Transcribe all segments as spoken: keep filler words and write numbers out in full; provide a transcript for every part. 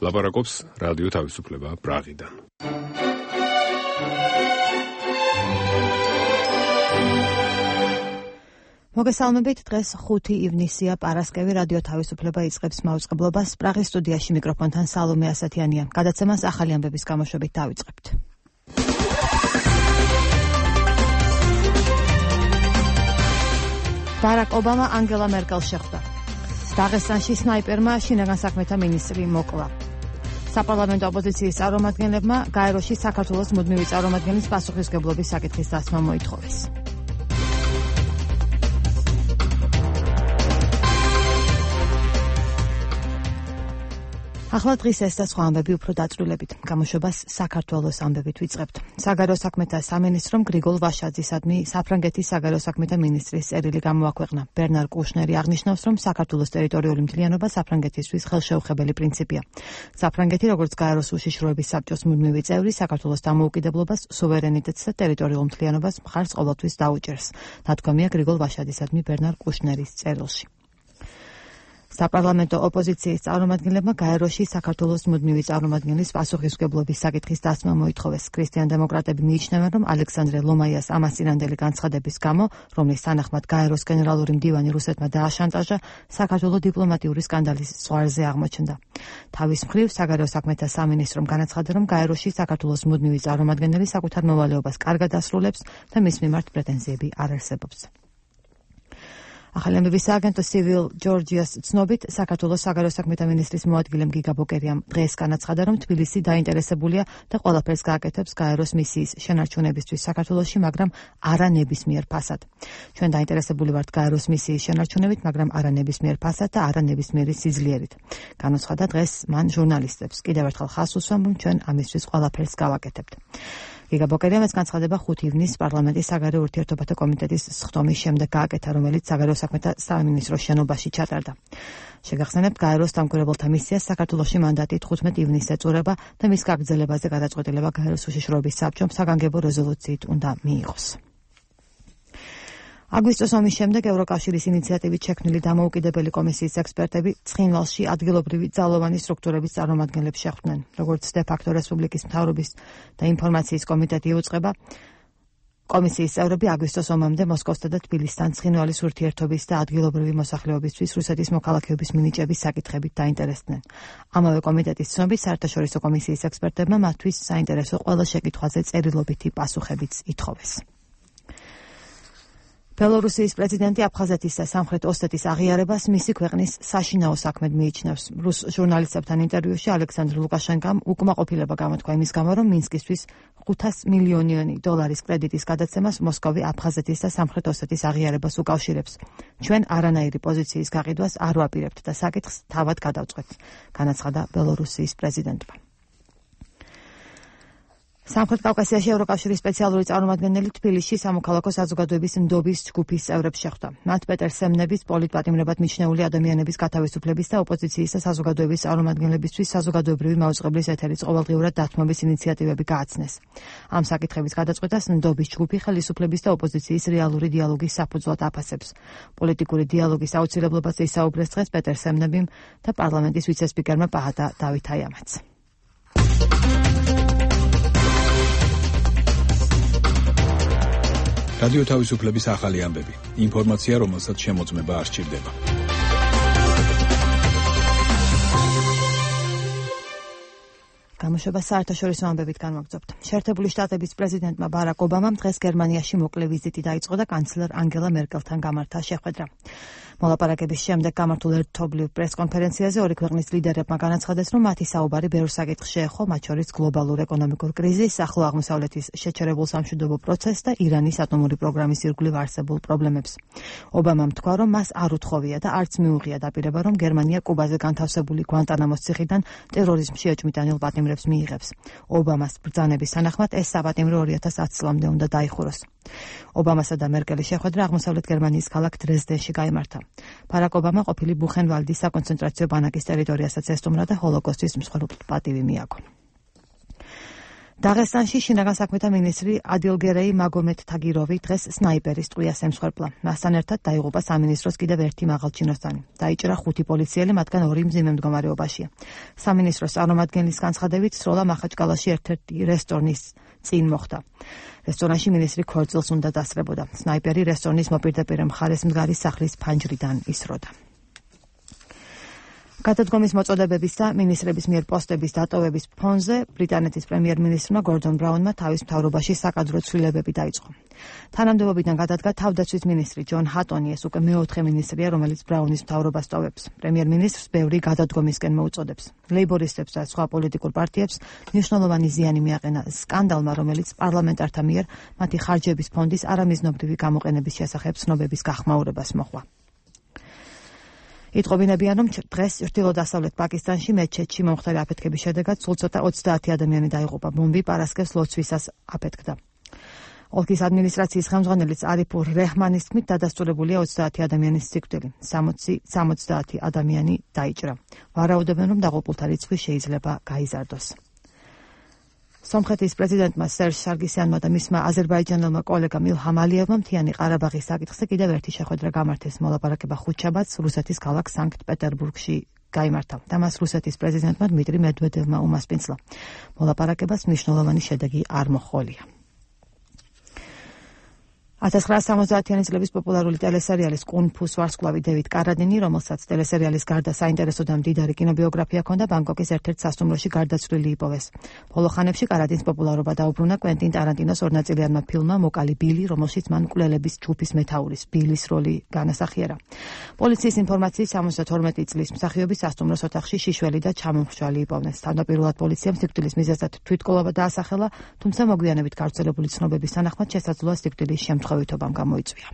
ლაპარაკობს რადიო თავისუფლება პრაღიდან. მოგესალმებით, დღეს ხუთი ივნისია, პარასკევი, რადიო თავისუფლება იწყებს მაუწყებლობას. პრაღის სტუდიაში მიკროფონთან სალომე ასათიანია. გადაცემას ახალი ამბების გამოშვებით დავიწყებთ. ბარაკ ობამა ანგელა მერკელს შეხვდა. დაღესტანში სნაიპერმა შინაგან საქმეთა მინისტრი მოკლა. საპარლამენტო ოპოზიციის წარმომადგენლებმა გაეროში საქართველოს მუდმივი წარმომადგენლის პასუხისმგებლობის საკითხის დასმა მოითხოვეს. ახლა დღის ეს და სხვა ამბები უფრო დაწვრილებით. გამოშვებას საქართველოს ამბებით ვიწყებთ. საგარეო საქმეთა სამინისტრომ გრიგოლ ვაშაძისადმი საფრანგეთის საგარეო საქმეთა მინისტრის წერილი გამოაქვეყნა. ბერნარ კუშნერი აღნიშნავს, რომ საქართველოს ტერიტორიული მთლიანობა საფრანგეთისთვის ხელშეუხებელი პრინციპია. საფრანგეთი, როგორც გაეროს უშიშროების საბჭოს მუდმივი წევრი, საქართველოს დამოუკიდებლობას, სუვერენიტეტს და ტერიტორიულ მთლიანობას მხარს ყოველთვის დაუჭერს. ნათქვამია გრიგოლ ვაშაძისადმი ბერნარ კუშნერის წერილში. საპარლამენტო ოპოზიციის წარმომადგენლებმა გაეროში საქართველოს მუდმივი წარმომადგენლის პასუხისმგებლობის საკითხის დასმა მოითხოვეს. ქრისტიან დემოკრატები მიიჩნევენ, რომ ალექსანდრე ლომაიას ამასწინანდელი განცხადების გამო, რომლის თანახმად გაეროს გენერალური მდივანი რუსეთმა დააშანტაჟა, საქართველო დიპლომატიური სკანდალის ზღვარზე აღმოჩნდა. თავის მხრივ, საგარეო საქმეთა სამინისტრომ განაცხადა, რომ გაეროში საქართველოს მუდმივი წარმომადგენელი საკუთარ მოვალეობას კარგად ასრულებს და მის მიმართ პრეტენზიები არ არსებობს. ახალი ამბების სააგენტო Civil Georgia's ცნობით, საქართველოს საგარეო საქმეთა მინისტრის მოადგილემ გიგა ბოკერიამ დღეს განაცხადა, რომ თბილისი დაინტერესებულია და ყველაფერს გააკეთებს გაეროს მისიის შენარჩუნებისთვის საქართველოში, მაგრამ არა ნებისმიერ ფასად. ჩვენ დაინტერესებული ვართ გაეროს მისიის შენარჩუნებით, მაგრამ არა ნებისმიერ ფასად და არა ნებისმიერი სიძლიერით. განაცხადა დღეს მან ჟურნალისტებს. კიდევ ერთხელ ხაზს უსვამ, რომ ჩვენ ამისთვის ყველაფერს გავაკეთებთ. გიგა ბოკერიამ ეს განცხადება ხუთი ივნისს პარლამენტის საგარეო ურთიერთობათა კომიტეტის სხდომის შემდეგ გააკეთა, რომელიც საგარეო საქმეთა სამინისტროს შენობაში ჩატარდა. შეგახსენებთ, გაეროს დამკვირვებელთა მისიას საქართველოში მანდატი თხუთმეტი ივნისს ეწურება და მის გაგრძელებაზე გადაწყვეტილება გაეროს უშიშროების საბჭომ საგანგებო რეზოლუციით უნდა მიიღოს. აგვისტოს ომის შემდეგ ევროკავშირის ინიციატივით შექმნილი დამოუკიდებელი კომისიის ექსპერტები ცხინვალში ადგილობრივი ძალოვანი სტრუქტურების წარმომადგენლებს შეხვდნენ. როგორც დე-ფაქტო რესპუბლიკის მთავრობის და ინფორმაციის კომიტეტი იუწყება, კომისიის წევრები აგვისტოს ომამდე მოსკოვსა და თბილისთან ცხინვალის ურთიერთობის და ადგილობრივი მოსახლეობისთვის რუსეთის მოქალაქეობის მინიჭების საკითხებით დაინტერესდნენ. ამავე კომიტეტის ცნობით, საერთაშორისო კომისიის ექსპერტებმა მათთვის საინტერესო ყველა შეკითხვაზე წერილობითი პასუხებიც ითხოვეს. ბელორუსიის პრეზიდენტი აფხაზეთის და სამხრეთ ოსეთის აღიარებას მისი ქვეყნის საშინაო საქმედ მიიჩნევს. რუს ჟურნალისტებთან ინტერვიუში ალექსანდრ ლუკაშენკამ უკმაყოფილება გამოთქვა იმის გამო, რომ მინსკისთვის ხუთასი მილიონიანი დოლარის კრედიტის გადაცემას მოსკოვი აფხაზეთის და სამხრეთ ოსეთის აღიარებას უკავშირებს. ჩვენ არანაირი პოზიციის გაყიდვას არ ვაპირებთ და საკითხს თავად გადავწყვეტ, განაცხადა ბელორუსიის პრეზიდენტმა. სამხრეთ კავკასიაში ევროკავშირის სპეციალური წარმომადგენელი თბილისში სამოქალაქო საზოგადოების ნდობის ჯგუფის წევრებს შეხვდა. მათ პეტერ სემნების პოლიტპატიმრებად მიჩნეული ადამიანების გათავისუფლების და ოპოზიციის და საზოგადოების წარმომადგენლებისთვის საზოგადოებრივი მაუწყებლის ეთერის ყოველდღიურად დათმობის ინიციატივები გააცნეს. ამ საკითხების გადაწყვეტას ნდობის ჯგუფი ხელისუფლების და ოპოზიციის რეალური დიალოგის საფუძვლად აფასებს. პოლიტიკური დიალოგის აუცილებლობაზე ისაუბრეს დღეს პეტერ სემნებიმ და პარლამენტის ვიცე-სპიკერმა პაჰატა დავითაიამაც. რადიო თავისუფლების ახალი ამბები. ინფორმაცია, რომელსაც შემოწმება არ სჭირდება. გამოშვება საერთაშორისო ამბებით განვაგრძობთ. შეერთებული შტატების პრეზიდენტმა ბარაკ ობამამ დღეს გერმანიაში მოკლე ვიზიტი დაიწყო და კანცლერ ანგელა მერკელთან გამართა შეხვედრა. მოლაპარაკების შემდეგ გამართულ ერთობლივ პრესკონფერენციაზე ორი ქვეყნის ლიდერებმა განაცხადეს, რომ მათი საუბარი ბევრ საკითხს შეეხო, მათ შორის გლობალურ ეკონომიკურ კრიზისს, ახლო აღმოსავლეთის შეჩერებულ სამშვიდობო პროცესს და ირანის ატომური პროგრამის ირგვლივ არსებულ პრობლემებს. ობამამ თქვა, რომ მას არ უთხოვია და არც მიუღია დაპირება, რომ გერმანია კუბაზე განთავსებული გვანტანამოს ციხიდან ტერორიზმში ეჭვმიტანილ პატიმრებს მიიღებს. ობამას ბრძანების თანახმად ეს საპატიმრო ორი ათას ათი წლამდე უნდა დაიხუროს. ობამასა და მერკელის შეხვედრა აღმოსავლეთ გერმანიის ქალაქ დრეზდენში გაიმართა. ბარაკ ობამა ყოფილი ბუხენვალდის საკონცენტრაციო ბანაკის ტერიტორიასაც ესტუმრა და ჰოლოკოსტის მსხვერპლთა პატივი მიაგო. დაღესტანში შინაგან საქმეთა მინისტრი ადილგერეი მაგომედ თაგიროვი დღეს სნაიპერის ტყვიას ემსხვერპლა. მასთან ერთად დაიღუპა სამინისტროს კიდევ ერთი მაღალჩინოსანი. დაიჭრა ხუთი პოლიციელი, მათგან ორი მძიმე მდგომარეობაშია. სამინისტროს წარმომადგენლის განცხადებით, სროლა მახაჩკალაში ერთ-ერთი რესტორნის წინ მოხდა. რესტორანში მინისტრი ქორწილს უნდა დასწრებოდა. სნაიპერი რესტორნის მოპირდაპირ მხარეს მდგარი სახლის ფანჯრიდან ისროდა. გადადგომის მოწოდებების და მინისტრების მიერ პოსტების დატოვების ფონზე ბრიტანეთის პრემიერ-მინისტრმა გორდონ ბრაუნმა თავის მთავრობაში საკადრო ცვლილებები დაიწყო. თანამდებობიდან გადადგა თავდაცვის მინისტრი ჯონ ჰატონი, ეს უკვე მეოთხე მინისტრია, რომელიც ბრაუნის მთავრობას ტოვებს. პრემიერ-მინისტრს ბევრი გადადგომისკენ მოუწოდებს. ლეიბორისტებს და სხვა პოლიტიკურ პარტიებს მნიშვნელოვანი ზიანი მიაყენა სკანდალმა, რომელიც პარლამენტართა მიერ მათი ხარჯების ფონდის არამიზნობრივი გამოყენების შესახებ ცნობების გახმაურებას მოჰყვა. იტყობინებიან, რომ დღეს ჩრდილო-დასავლეთ პაკისტანში მეჩეთში მომხდარი აფეთქების შედეგად სულ ცოტა ოცდაათი ადამიანი დაიღუპა. ბომბი პარასკევს ლოცვისას აფეთქდა. ოლქის ადმინისტრაციის ხელმძღვანელის არიფურ რეჰმანის თქმით, დადასტურებულია ოცდაათი ადამიანის სიკვდილი. სამოცდაათი ადამიანი დაიჭრა. ვარაუდობენ, რომ დაღუპულთა რიცხვი შეიძლება გაიზარდოს. სომხეთის პრეზიდენტმა სერჟ სარგისიანმა და მისმა აზერბაიჯანელმა კოლეგამ ილჰამ ალიევმა მთიანი ყარაბაღის საკითხზე კიდევ ერთი შეხვედრა გამართეს. მოლაპარაკება ხუთშაბათს რუსეთის ქალაქ სანქტ-პეტერბურგში გაიმართა და მას რუსეთის პრეზიდენტმა დმიტრი მედვედევმა უმასპინძლა. მოლაპარაკებას მნიშვნელოვანი შედეგი არ მოჰყოლია. ათას ცხრაასა სამოცდაათიანი წლების პოპულარული ტელესერიალის კუნ-ფუს ვარსკვლავი დევიდ კარადინი, რომელსაც ტელესერიალის გარდა საინტერესო და მდიდარი კინობიოგრაფია ჰქონდა, ბანგკოკის ერთ-ერთ სასტუმროში გარდაცვლილი იპოვეს. ბოლო ხანებში კარადინს პოპულარობა დაუბრუნა კვენტინ ტარანტინოს ორნაწილიანმა ფილმმა „მოკალი ბილი“, რომელშიც მან მკვლელების ჯგუფის მეთაურის ბილის როლი განასახიერა. პოლიციის ინფორმაციით სამოცდათორმეტი წლის მსახიობი სასტუმროს ოთახში შიშველი და ჩამომხშვალი იპოვნეს. თავდაპირველად პოლიციამ სიკვდილის მიზეზად თვითკვლობა დაასახელა, თუმცა მოგვიანებით გავრცელებული ცნობების თანახმად შესაძლოა სიკვდილის შემთხვევა ვითობამ გამოიწვია.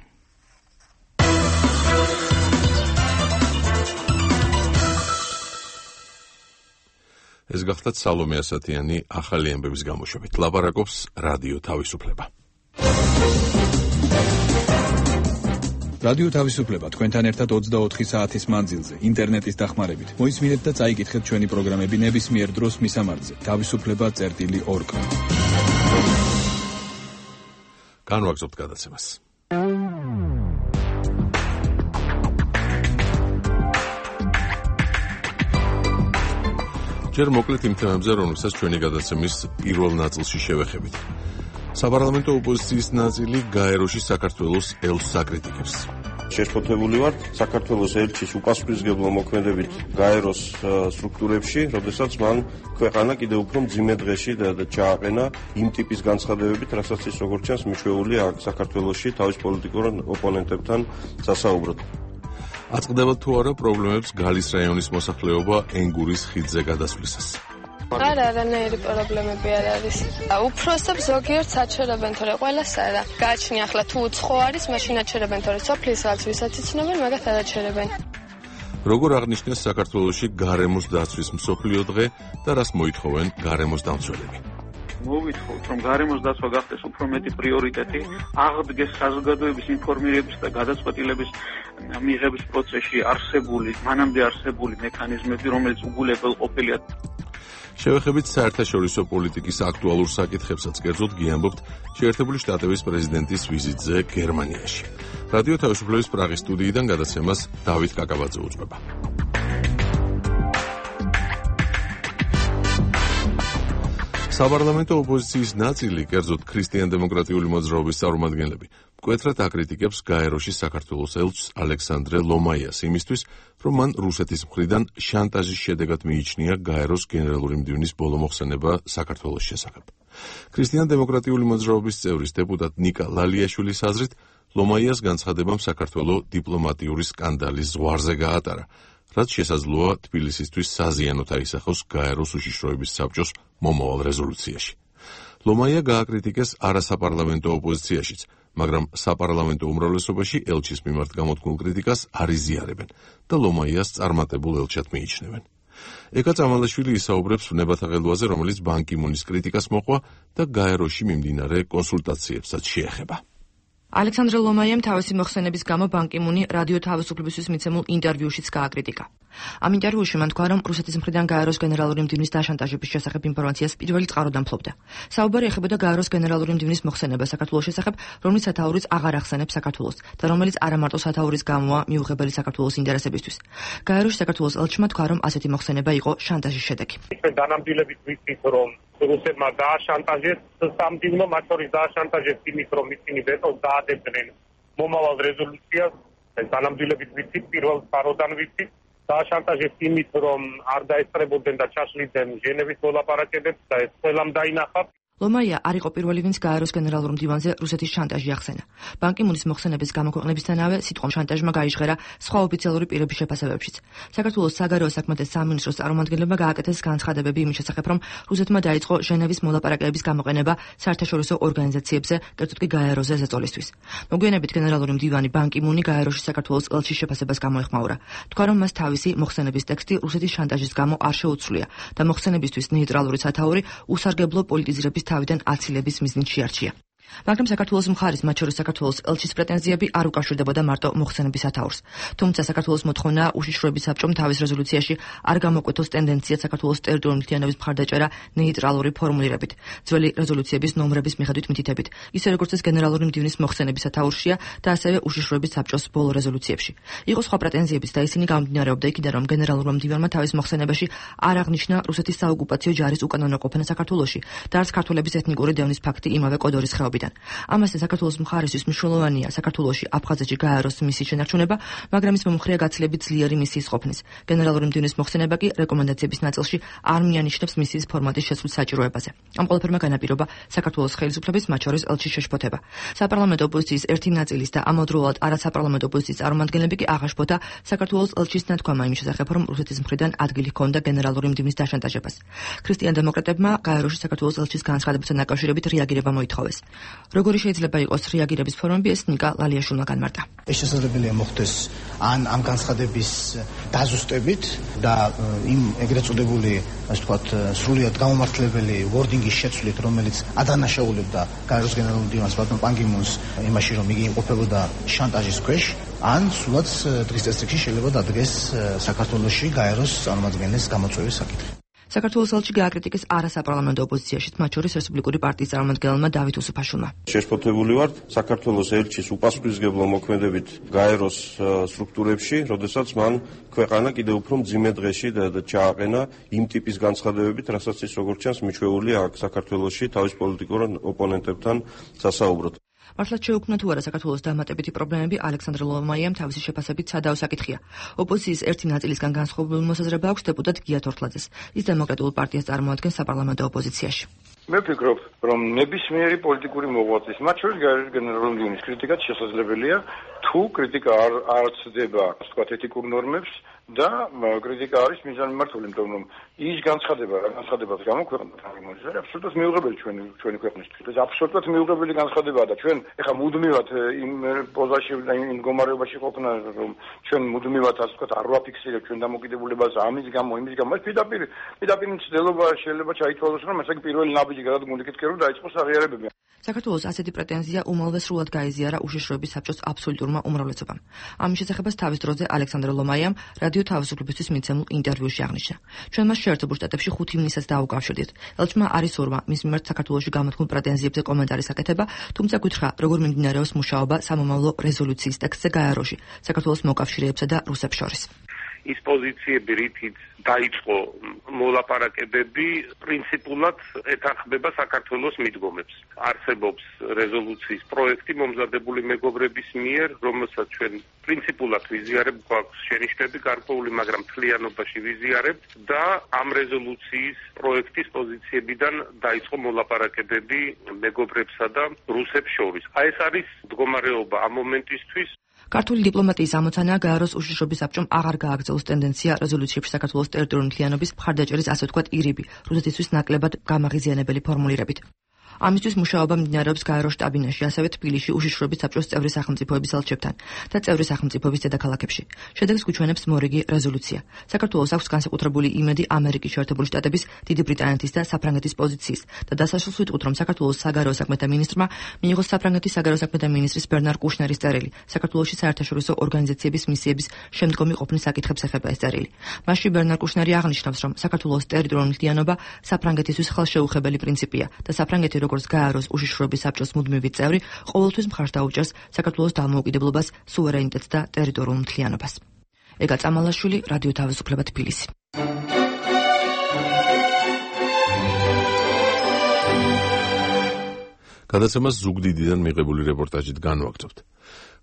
ეს გახლდათ სალომე ასათიანი ახალი ამბების გამოშვებით. ლაპარაკობს რადიო თავისუფლება. რადიო თავისუფლება თქვენთან ერთად ოცდაოთხი საათის მანძილზე ინტერნეტის დახმარებით. მოისმინეთ და წაიკითხეთ ჩვენი პროგრამები ნებისმიერ დროს მისამართზე თავისუფლება წერტილი ორ. განვაგრძობთ გადაცემას. ჯერ მოკლედ იმ თემებზე, რომელსაც ჩვენი გადაცემის პირველ ნაწილში შევეხებით. საპარლამენტო ოპოზიციის ნაწილი გაეროში საქართველოს ელჩს აკრიტიკებს. შეშფოთებული ვართ საქართველოს ელჩის უპასუხისმგებლო მოქმედებით გაეროს სტრუქტურებში, როდესაც მან ქვეყანა კიდევ უფრო მძიმე დღეში ჩააყენა იმ ტიპის განცხადებებით, რასაც ის როგორც ჩანს მიშვეულია საქართველოში თავის პოლიტიკურ ოპონენტებთან სასაუბროდ. აწყდება თუ არა პრობლემებს გალის რაიონის მოსახლეობა ენგურის ხიდზე გადასვლისას. არა, არანაირი პრობლემები არ არის. უფროსებს ზოგიერთ საჩერებენ, თორე ყველას არა. გააჩნია ახლა თუ უცხო არის, მაშინ აჩერებენ, თორე სოფლის რაც ვისაც იცნობენ, მაგათ არ აჩერებენ. როგორ აღნიშნეს საქართველოში გარემოს დაცვის მსოფლიო დღე და რას მოითხოვენ გარემოს დამცველები? მოვითხოვთ, რომ გარემოს დაცვა გახდეს უფრო მეტი პრიორიტეტი, აღდგეს საზოგადოების ინფორმირების და გადაწყვეტილების მიღების პროცესში არსებული, მანამდე არსებული მექანიზმები, რომელიც უგულებელ ყოფილია. შევეხებით საერთაშორისო პოლიტიკის აქტუალურ საკითხებსაც, კერძოდ გიამბობთ შეერთებული შტატების პრეზიდენტის ვიზიტზე გერმანიაში. რადიო თავისუფლების პრაღის სტუდიიდან გადაცემას დავით კაკაბაძე უძღვება. საპარლამენტო ოპოზიციის ნაწილი, კერძოდ ქრისტიან-დემოკრატიული მოძრაობის წარმომადგენლები, მკვეთრად აკრიტიკებს გაეროში საქართველოს ელჩს ალექსანდრე ლომაიას იმისთვის, რომ მან რუსეთის მხრიდან შანტაჟის შედეგად მიიჩნია გაეროს გენერალური მდივნის ბოლო მოხსენება საქართველოს შესახებ. ქრისტიან-დემოკრატიული მოძრაობის წევრის დეპუტატ ნიკა ლალიაშვილის აზრით, ლომაიას განცხადებამ საქართველოს დიპლომატიური სკანდალის ზღვარზე გაატარა, რაც შესაძლოა თბილისისთვის საზიანოდ აისახოს გაეროს უშიშროების საბჭოს მომავალ რეზოლუციაში. ლომაია გააკრიტიკეს არასაპარლამენტო ოპოზიციაშიც, მაგრამ საპარლამენტო უმრავლესობაში ელჩის მიმართ გამოთქმულ კრიტიკას არ იზიარებენ და ლომაიას წარმატებულ ელჩად მიიჩნევენ. ეკა წამალაშვილი ისაუბრებს ნებათა ღელვაზე, რომელიც ბან კი მუნის კრიტიკას მოყვა და გაეროში მიმდინარე კონსულტაციებსაც შეეხება. ალექსანდრე ლომაიამ თავისი მოხსენების გამო ბან კი მუნი რადიო თავისუფლებისთვის მიცემულ ინტერვიუშიც გააკრიტიკა. ამ ინტერვიუში მან თქვა, რომ რუსეთის მხრიდან გაეროს გენერალური მდივნის დაშანტაჟების შესახებ ინფორმაციას პირველი წყაროდან ფლობდა. საუბარი ეხებოდა გაეროს გენერალური მდივნის მოხსენებას საქართველოს შესახებ, რომლის სათაურიც აღარ ახსენებს საქართველოს და რომელიც არა მარტო სათაურის გამოა მიუღებელი საქართველოს ინტერესებისთვის. გაეროში საქართველოს ელჩმა თქვა, რომ ასეთი მოხსენება იყო შანტაჟის შედეგი. დანამდვილებით ვიცით, რომ რუსებმა დააშანტაჟეს სამდივნო, მათ შორის დააშანტაჟეს იმით, რომ ისინი ვეტოს დაადებდნენ მომავალ რეზოლუციას. ეს დანამდვილებით ვიცით, პირველ სფაროდან ვიცით. დააშანტაჟეს იმით, რომ არ დაესწრებოდნენ და ჩაშლიდნენ ჟენევის მოლაპარაკებებს და ეს ყველამ დაინახა. ლომაია არ იყო პირველი, ვინც გაეროს გენერალურ მდივანზე რუსეთის შანტაჟი ახსენა. ბან კი მუნის მოხსენების გამოქვეყნებისთანავე სიტყვა შანტაჟმა გაიჟღერა სხვა ოფიციალური პირების შეფასებებშიც. საქართველოს საგარეო საქმეთა სამინისტროს წარმომადგენლებმა გააკეთეს განცხადებები იმის შესახებ, რომ რუსეთმა დაიწყო ჟენევის მოლაპარაკებების გამოყენება საერთაშორისო ორგანიზაციებზე, კერძოდ კი გაეროზე ზეწოლისთვის. მოგვიანებით გენერალური მდივანი ბან კი მუნი გაეროში საქართველოს ელჩის შეფასებას გამოეხმაურა. თქვა, რომ მას თავისი მოხსენების ტექსტი რუსეთის შანტაჟის გამო არ შეუცვლია და მოხსენებისთვის ნეიტრალური სათაური უსარგებლო პოლიტიზირების თავიდან აცილების მიზნით შეარჩია. მაგრამ საქართველოს მხარის, მათ შორის საქართველოს ელჩის პრეტენზიები არ უკავშირდებოდა მარტო მოხსენების სათაურს. თუმცა საქართველოს მოთხოვნაა უშიშროების საბჭომ თავის რეზოლუციაში არ გამოკვეთოს ტენდენციად საქართველოს ტერიტორიული მთლიანობის მხარდაჭერა ნეიტრალური ფორმულირებით, ძველი რეზოლუციების ნომრების მიხედვით მითითებით, ისე როგორც ეს გენერალური მდივნის მოხსენების სათაურშია და ასევე უშიშროების საბჭოს ბოლო რეზოლუციებში. იყო სხვა პრეტენზიებიც და ისინი გამომდინარეობდა იქიდან, რომ გენერალურმა მდივანმა თავის მოხსენებაში არ აღნიშნა რუსეთის საოკუპაციო ჯარის უკანონოყოფნა საქართველოში და არც ქართველების ეთნიკური დევნის ფაქტი იმავე კოდორის ხეობიდან. ამასთან საქართველოს მხარისთვის მნიშვნელოვანია საქართველოში აფხაზეთში გაეროს მისიის შენარჩუნება, მაგრამ ის მომხრეა გაცილებით ძლიერი მისიის ყოფნის. გენერალური მდივნის მოხსენება კი რეკომენდაციების ნაწილში არ მიანიშნებს მისიის ფორმატის შესულ საჭიროებაზე. ამ ყველაფერმა განაპირობა საქართველოს ხელისუფლების, მათ შორის ელჩის შეშფოთება. საპარლამენტო ოპოზიციის ერთი ნაწილის და ამავდროულად არასაპარლამენტო ოპოზიციის წარმომადგენლები კი აღაშფოთა საქართველოს ელჩის ნათქვამა იმის შესახებ, რომ რუსეთის მხრიდან ადგილი ჰქონდა გენერალური მდივნის დაშანტაჟებას. ქრისტიან-დემოკრატებმა გაეროში საქართველოს ელჩის განცხადებასთან დაკავშირებით რეაგირება მოითხოვეს. როგორი შეიძლება იყოს რეაგირების ფორმები, ეს ნიკა ლალიაშვილმა განმარტა. ეს შესაძლებელია მოხდეს ან ამ განცხადების დაზუსტებით და იმ ეგრეთ წოდებული, ასე ვთქვათ, სრულიად გამომართლებელი wording-ის შეცვლით, რომელიც ადანაშაულებდა გაეროს გენერალურ მდივანს ბატონ პან კი მუნს იმაში, რომ იგი იმყოფებოდა შანტაჟის ქვეშ, ან სულაც დღის წესრიგში შეიძლება დადგეს საქართველოში გაეროს წარმომადგენლის გამოწვევის საკითხი. საქართველოს ელჩი გააკრიტიკეს არასაპარლამენტო ოპოზიციაში, მათ შორის რესპუბლიკური პარტიის წარმომადგენელმა დავით უსუფაშვილმა. შეშფოთებული ვართ საქართველოს ელჩის უპასუხისმგებლო მოქმედებით გაეროს სტრუქტურებში, როდესაც მან ქვეყანა კიდევ უფრო მძიმე დღეში ჩააყენა იმ ტიპის განცხადებებით, რასაც ის როგორც ჩანს მიჩვეულია აქ საქართველოში თავის პოლიტიკურ ოპონენტებთან სასაუბროდ. მართლაც შეუქმნა თუ არა საქართველოს დამატებითი პრობლემები, ალექსანდრე ლომაიამ თავისი შეფასებით სადაო საკითხია. ოპოზიციის ერთი ნაწილისგან განსხვავებული მოსაზრება აქვს დეპუტატ გია თორთლაძეს. ის დემოკრატიულ პარტიას წარმოადგენს საპარლამენტო ოპოზიციაში. მე ვფიქრობ, რომ ნებისმიერი პოლიტიკური მოღვაწის, მათ შორის გაეროს გენერალური მდივნის კრიტიკაც შესაძლებელია, თუ კრიტიკა არ არცდება, ასე ვთქვათ, ეთიკურ ნორმებს და კრიტიკა არის მიზანმიმართული, იმიტომ რომ ის განცხადება, რა განცხადებას გამოქვეყნდა თამიმონის, არის აბსოლუტურად მიუღებელი ჩვენი ჩვენი ქვეყნისთვის. ეს აბსოლუტურად მიუღებელი განცხადებაა და ჩვენ ეხლა მუდმივად იმ პოზაში და იმ მდგომარეობაში ყოფნა, რომ ჩვენ მუდმივად, ასე ვთქვათ, არ ვაფიქსირებთ ჩვენ დამოკიდებულებას ამის გამო, იმის გამო, ეს პირდაპირ პირდაპირ მცდელობა შეიძლება ჩაითვალოს, რომ ეს პირველი ნაბიჯი გადადგმული კითხი რომ დაიწყოს აღიარებები. საქართველოს ასეთი პრეტენზია უმალვე სრულად გაიზიარა უშიშროების საბჭოს აბსოლუტურმა უმრავლესობამ. ამის შესახებაც თავის დროზე ალექსანდრე ლომაიამ რადიო თავისუფლებისთვის მიცემულ ინტერვიუში აღნიშნა. ჩვენ მას შეერთებულ შტატებში ხუთ ივნისს დაუკავშირდით. ელჩმა არის ორმა მის მიმართ საქართველოში გამოთქმულ პრეტენზიებზე კომენტარის აკეთება, თუმცა გითხრა, როგორ მიმდინარეობს მუშაობა სამომავლო რეზოლუციის ტექსტზე გაეროში, საქართველოს მოკავშირეებსა და რუსებს შორის. ის პოზიციები, რითიც დაიწყო მოლაპარაკებები, პრინციპულად ეთანხმება საქართველოს მიდგომებს. არსებობს რეზოლუციის პროექტი მომზადებული მეგობრების მიერ, რომელსაც ჩვენ პრინციპულად ვიზიარებთ, გვაქვს შენიშვნები გარკვეული, მაგრამ მთლიანობაში ვიზიარებთ და ამ რეზოლუციის პროექტის პოზიციებიდან დაიწყო მოლაპარაკებები მეგობრებსა და რუსებს შორის. აი ეს არის მდგომარეობა ამ მომენტისთვის. ქართული დიპლომატიის ამოცანაა გაეროს უშიშროების საბჭომ აღარ გააგრძელოს ტენდენცია რეზოლუციებში საქართველოს ტერიტორიული მთლიანობის მხარდაჭერის, ასე ვთქვათ, ირიბი, რუსეთისთვის ნაკლებად გამაღიზიანებელი ფორმულირებით. ამისთვის მუშაობა მიმდინარეობს გაერო შტაბინაში, ასევე თბილისში უშიშროების საბჭოს წევრი სახელმწიფოების ელჩებთან და წევრი სახელმწიფოების დედაქალაქებში. შედეგს გვიჩვენებს მორიგი რეზოლუცია. საქართველოს აქვს განსაკუთრებული იმედი ამერიკის შეერთებული შტატების, დიდი ბრიტანეთის და საფრანგეთის პოზიციის და დასაშლს ვიტყუთ, რომ საქართველოს საგარეო საქმეთა მინისტრმა მიიღო საფრანგეთის საგარეო საქმეთა მინისტრის ბერნარ კუშნერის წერილი. საქართველოში საერთაშორისო ორგანიზაციების მისიების შემდგომი ყოფნის საკითხებს ეხება ეს წერილი. მასში ბერნარ კუშნერი აღნიშნავს, რომ საქართველოს ტერიტორიული მთლიანობა საფრანგეთისთვის ხელშეუხებელი პრინციპია და საფრანგეთი როგორც გაეროს უშიშროების საბჭოს მუდმივი წევრი ყოველთვის მხარს დაუჭერს საქართველოს დამოუკიდებლობას, სუვერენიტეტს და ტერიტორიულ მთლიანობას. ეგა წამალაშვილი, რადიო თავისუფლება, თბილისი. გადაცემას ზუგდიდიდან მიღებული რეპორტაჟით განვაგრძობთ.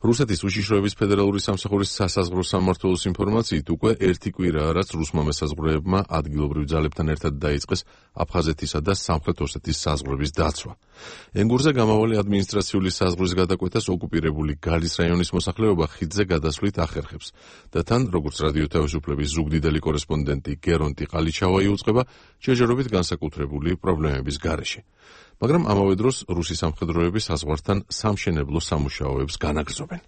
რუსეთის უშიშროების ფედერალური სამსახურის სასაზღვრო სამმართველოს ინფორმაციით უკვე ერთი კვირაა, რაც რუსმა მესაზღვრეებმა ადგილობრივ ძალებთან ერთად დაიწყეს აფხაზეთისა და სამხრეთ ოსეთის საზღვრების დაცვა. ენგურზე გამავალი ადმინისტრაციული საზღვრის გადაკვეთას ოკუპირებული გალის რაიონის მოსახლეობა ხიდზე გადასვლით ახერხებს და თან, როგორც რადიო თავისუფლების ზუგდიდელი კორესპონდენტი გერონტი ყალიჩავა იუწყება, ჯერჯერობით განსაკუთრებული პრობლემების გარეშე. მაგრამ ამავე დროს რუსი სამხედროები საზღვართან სამშენებლო სამუშაოებს განაგრძობენ.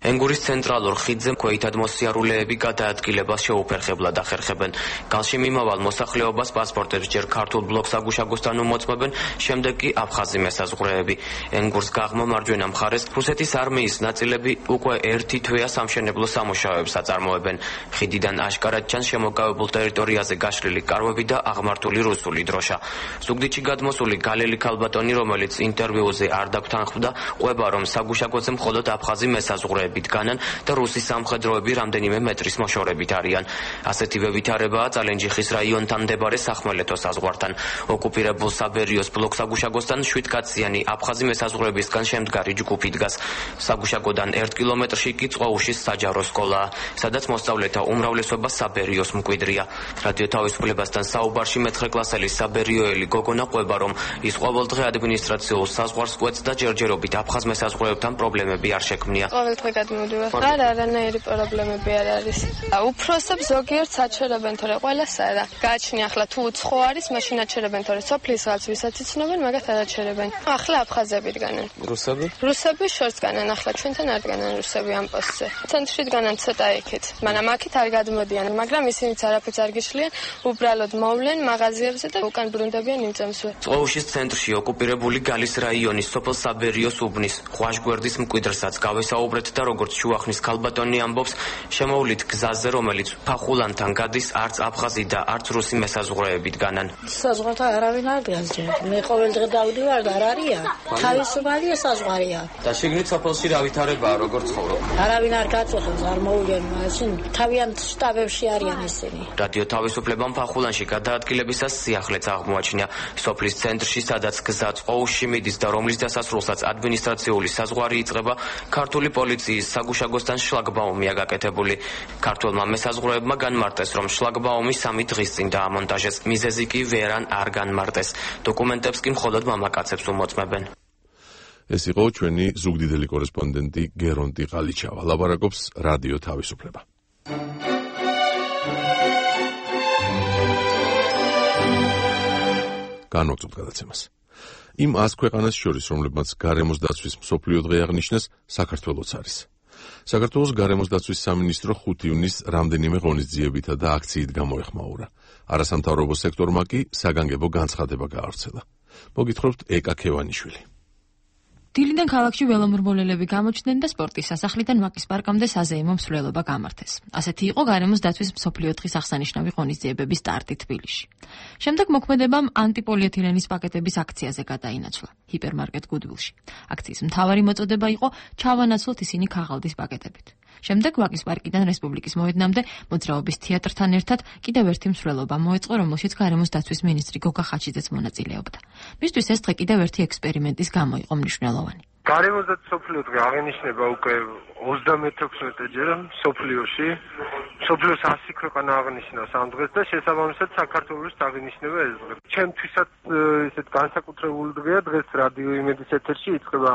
ენგურის ცენტრალურ ხიდზე ქვეითად მოსიარულეები გადაადგილებას შეუფერხებლად ახერხებენ. გალში მიმავალ მოსახლეობას პასპორტებს ჯერ ქართულ ბლოკ საგუშაგოსთან უმოწმებენ, შემდეგ კი აფხაზი მესაზღვრეები. ენგურს გაღმა მარჯვენა მხარეს რუსეთის არმიის ნაწილები უკვე ერთი თვეა სამშენებლო სამუშაოებს აწარმოებენ. ხიდიდან აშკარად ჩანს შემოგავებულ ტერიტორიაზე გაშლილი კარვები და აღმართული რუსული დროშა. ზუგდიდში გადმოსული გალელი ქალბატონი, რომელიც ინტერვიუზე არ დაგთანხმდა, ყვება, რომ საგუშაგოზე მხოლოდ აფხაზი მესაზღვრეები დგანან და რუსი სამხედროები რამდენიმე მეტრის მოშორებით არიან. ასეთივე ვითარებაა წალენჯიხის რაიონთან მდებარე სახმელეთო საზღვართან. ოკუპირებულ საბერიოს ბლოკ საგუშაგოსთან შვიდკაციანი აფხაზი მესაზღვრეებისგან შემდგარი ჯგუფი დგას. საგუშაგოდან ერთ კილომეტრში კი წყოუშის საჯარო სკოლაა, სადაც მოსწავლეთა უმრავლესობა საბერიოს მკვიდრია. რადიო თავისუფლებასთან საუბარში მეცხრე კლასელი საბერიოელი გოგონა ყვება, რომ ის ყოველდღე ადმინისტრაციულ საზღვარს კვეთს და ჯერჯერობით აფხაზ მესაზღვრეებთან პრობლემები არ შექმნია. გადმოდივარ. არ არანაირი პრობლემები არ არის. უფროსებს ზოგიერთ საჩერებენ, თორე ყველას არა. გააჩნია ახლა თუ უცხო არის, მაშინ აჩერებენ, თორე სოფლის ხალხს ვისაც იცნობენ, მაგათ არ აჩერებენ. ახლა აფხაზები დგანან. რუსები? რუსები შორს დგანან, ახლა ჩვენთან არ დგანან რუსები ამ პოსტზე. ცენტრში დგანან ცოტა იქით. მანამ აქეთ არ გადმოდიან, მაგრამ ისინიც არაფერს არ გიშლიან, უბრალოდ მოვლენ მაღაზიებზე და უკან ბრუნდებიან იმ წამსვე. წყოუშის ცენტრში ოკუპირებული გალის რაიონის სოფელ საბერიოს უბნის ხვაშგვერდის მკვიდრსაც გავესაუბრეთ და როგორც შუახნის ქალბატონი ამბობს, შემოვლით გზაზე, რომელიც ფახულანთან გადის, არც აფხაზი და არც რუსი მესაზღვრეები დგანან. საზღვართან არავინ არ დგას ჯერ. მე ყოველ დღე დავდივარ და არ არია. თავისუფალია საზღვარია. და შიგნით სოფელში რა ვითარებაა, როგორ ცხოვრობ? არავინ არ გაწუხებს, არ მოვლენ, მაშინ თავიანთ შტაბებში არიან ისინი. რადიო თავისუფლებამ ფახულანში გადაადგილებისას სიახლეც აღმოაჩინა. სოფლის ცენტრში, სადაც გზა წყოუშში მიდის და რომლის დასასრულსაც ადმინისტრაციული საზღვარი იწყება, ქართული პოლიციის საგუშაგოსთან შლაგბაუმია გაკეთებული. ქართველმა მესაზღვრეებმა განმარტეს, რომ შლაგბაუმი სამი დღის წინ დაამონტაჟეს. მიზეზი კი ვერან არ განმარტეს. დოკუმენტებს კი მხოლოდ მამაკაცებს უმოწმებენ. ეს იყო ჩვენი ზუგდიდელი კორესპონდენტი გერონტი ყალიჩავა. ლაპარაკობს რადიო თავისუფლება. განვაგრძობთ გადაცემას. იმ ას ქვეყანას შორის, რომლებმაც გარემოს დაცვის მსოფლიო დღე აღნიშნეს, საქართველოც არის. საქართველოს გარემოს დაცვის სამინისტრო ხუთი ივნისს რამდენიმე ღონისძიებითა და აქციით გამოეხმაურა. არასამთავრობო სექტორმა კი საგანგებო განცხადება გაავრცელა. მოგითხრობთ ეკა ქევანიშვილი. დილიდან ქალაქში ველომრბოლელები გამოჩნდნენ და სპორტის სასახლიდან ვაკის პარკამდე საზეიმო მსვლელობა გამართეს. ასეთი იყო გარემოს დაცვის მსოფლიო დღის აღსანიშნავი ღონისძიებების სტარტი თბილისში. შემდეგ მოქმედებამ ანტიპოლიეთილენის პაკეტების აქციაზე გადაინაცვლა ჰიპერმარკეტ გუდვილში. აქციის მთავარი მოწოდება იყო ჩავანაცვლოთ ისინი ქაღალდის პაკეტებით. შემდეგ ვაკის პარკიდან რესპუბლიკის მოედნამდე მოძრაობის თეატრთან ერთად კიდევ ერთი მსვლელობა მოეწყო, რომელშიც გარემოს დაცვის მინისტრი გოგა ხაჩიძეც მონაწილეობდა. მისთვის ეს დღე კიდევ ერთი ექსპერიმენტის გამო იყო მნიშვნელოვანი. გარემოს დაცვის მსოფლიო დღე აღენიშნება უკვე ოცდამეთექვსმეტე ჯერ მსოფლიოში. მსოფლიოს ასი ქვეყანა აღნიშნავს ამ დღეს და შესაბამისად საქართველოს აღინიშნება ეს დღე. ჩემთვისაც ესეთ განსაკუთრებული დღეა, დღეს რადიო იმედის ეთერში იწყება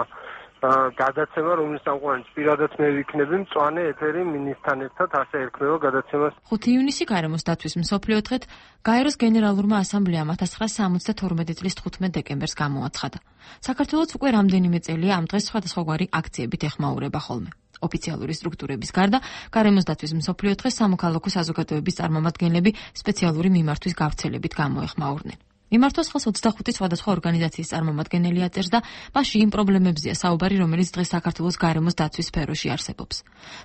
გადაცემა, რომლის სამყაროც პირადად მე ვიქნები მწვანე ეთერი მინისთან ერთად ასე ერქმევა გადაცემას. ხუთი ივნისი გარემოს დაცვის მსოფლიო დღეთ გაეროს გენერალურმა ასამბლეამ ათას ცხრაასა ორმოცდათორმეტი წლის თხუთმეტ დეკემბერს გამოაცხადა. საქართველოს უკვე რამდენიმე წელია ამ დღეს სხვადასხვაგვარი აქციებით ეხმაურება ხოლმე. ოფიციალური სტრუქტურების გარდა გარემოს დაცვის მსოფლიო დღეს სამოქალაქო საზოგადოების წარმომადგენლები სპეციალური მიმართვის გავრცელებით გამოეხმაურნენ. მიმართოს ხელს ოცდახუთი სხვადასხვა ორგანიზაციის წარმომადგენელი აწერს და მასში იმ პრობლემებზეა საუბარი, რომელიც დღეს საქართველოს გარემოს დაცვის სფეროში არსებობს.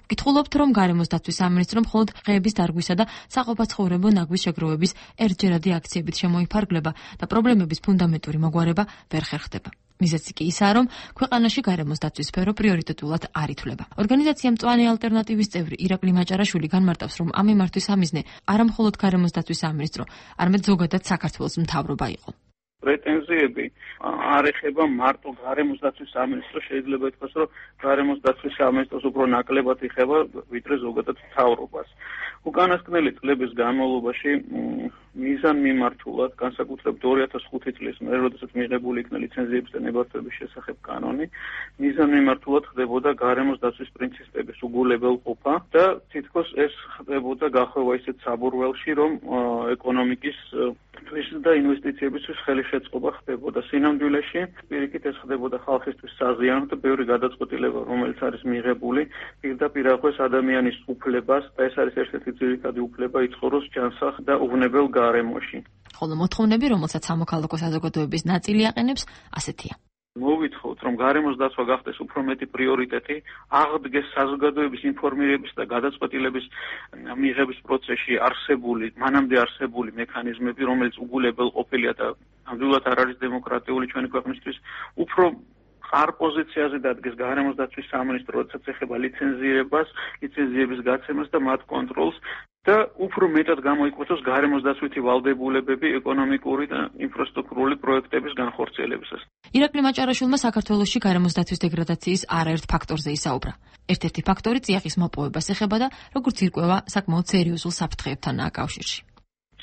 ვკითხულობთ, რომ გარემოს დაცვის სამინისტრო მხოლოდ დღეების დარგვისა და საყოფაცხოვრებო ნაგვის შეგროვების ერთჯერადი აქციებით შემოიფარგლება და პრობლემების ფუნდამენტური მოგვარება ვერ ხერხდება. მიზეზი კი ისაა, რომ ქვეყანაში გარემოს დაცვის სფერო პრიორიტეტულად არ ითვლება. ორგანიზაცია მწვანე ალტერნატივის წევრი ირაკლი მაჭარაშვილი განმარტავს, რომ ამ მიმართვის ამიზნე არა მხოლოდ გარემოს დაცვის სამინისტრო, არამედ ზოგადად საქართველოს მთავრობა იყო. პრეტენზიები არ ეხება მარტო გარემოს დაცვის სამინისტროს, შეიძლება ითქვას, რომ გარემოს დაცვის სამინისტროს უფრო ნაკლებად ეხება ვიდრე ზოგადად მთავრობას. უკანასკნელი წლების განმავლობაში მიზანმიმართულად, განსაკუთრებით ორი ათას ხუთი წლის მერე, როდესაც მიღებული იქნა ლიცენზიების და ნებართვების შესახებ კანონი, მიზანმიმართულად ხდებოდა გარემოს დაცვის პრინციპების უგულებელყოფა და თითქოს ეს ხდებოდა გახვევა ისეთ საბურველში, რომ ეკონომიკის და ინვესტიციებისთვის ხელი შეწყობა ხდებოდა. სინამდვილეში პირიქით ეს ხდებოდა ხალხისთვის საზიანოდ და ბევრი გადაწყვეტილება, რომელიც არის მიღებული, პირდაპირ აღვეს ადამიანის უფლებას და ეს არის ერთ-ერთი ძირითადი უფლება იცხოვროს ჯანსაღ და უვნებელ გარემოში. ხოლო მოთხოვნები, რომელსაც სამოქალაქო საზოგადოების ნაწილი აყენებს, ასეთია. მოვითხოთ, რომ გარემოს დაცვა გახდეს უფრო მეტი პრიორიტეტი, აღდგეს საზოგადოების ინფორმირების და გადაწყვეტილების მიღების პროცესში არსებული, მანამდე არსებული მექანიზმები, რომელიც უგულებელ ყოფილია და ნამდვილად არ არის დემოკრატიული ჩვენი ქვეყნისთვის, უფრო არ პოზიციაზე დადგეს გარემოს დაცვის სამინისტრო, როდესაც ეხება ლიცენზირებას, ლიცენზიების გაცემას და მათ კონტროლს და უფრო მეტად გამოიკვეთოს გარემოს დაცვითი ვალდებულებები ეკონომიკური და ინფრასტრუქტურული პროექტების განხორციელებისას. ირაკლი მაჭარაშვილმა საქართველოში გარემოს დაცვის დეგრადაციის არაერთ ფაქტორზე ისაუბრა. ერთ-ერთი ფაქტორი წიაღის მოპოვებას ეხება და როგორც ირკვევა, საკმაოდ სერიოზულ საფრთხეებთანაა კავშირში.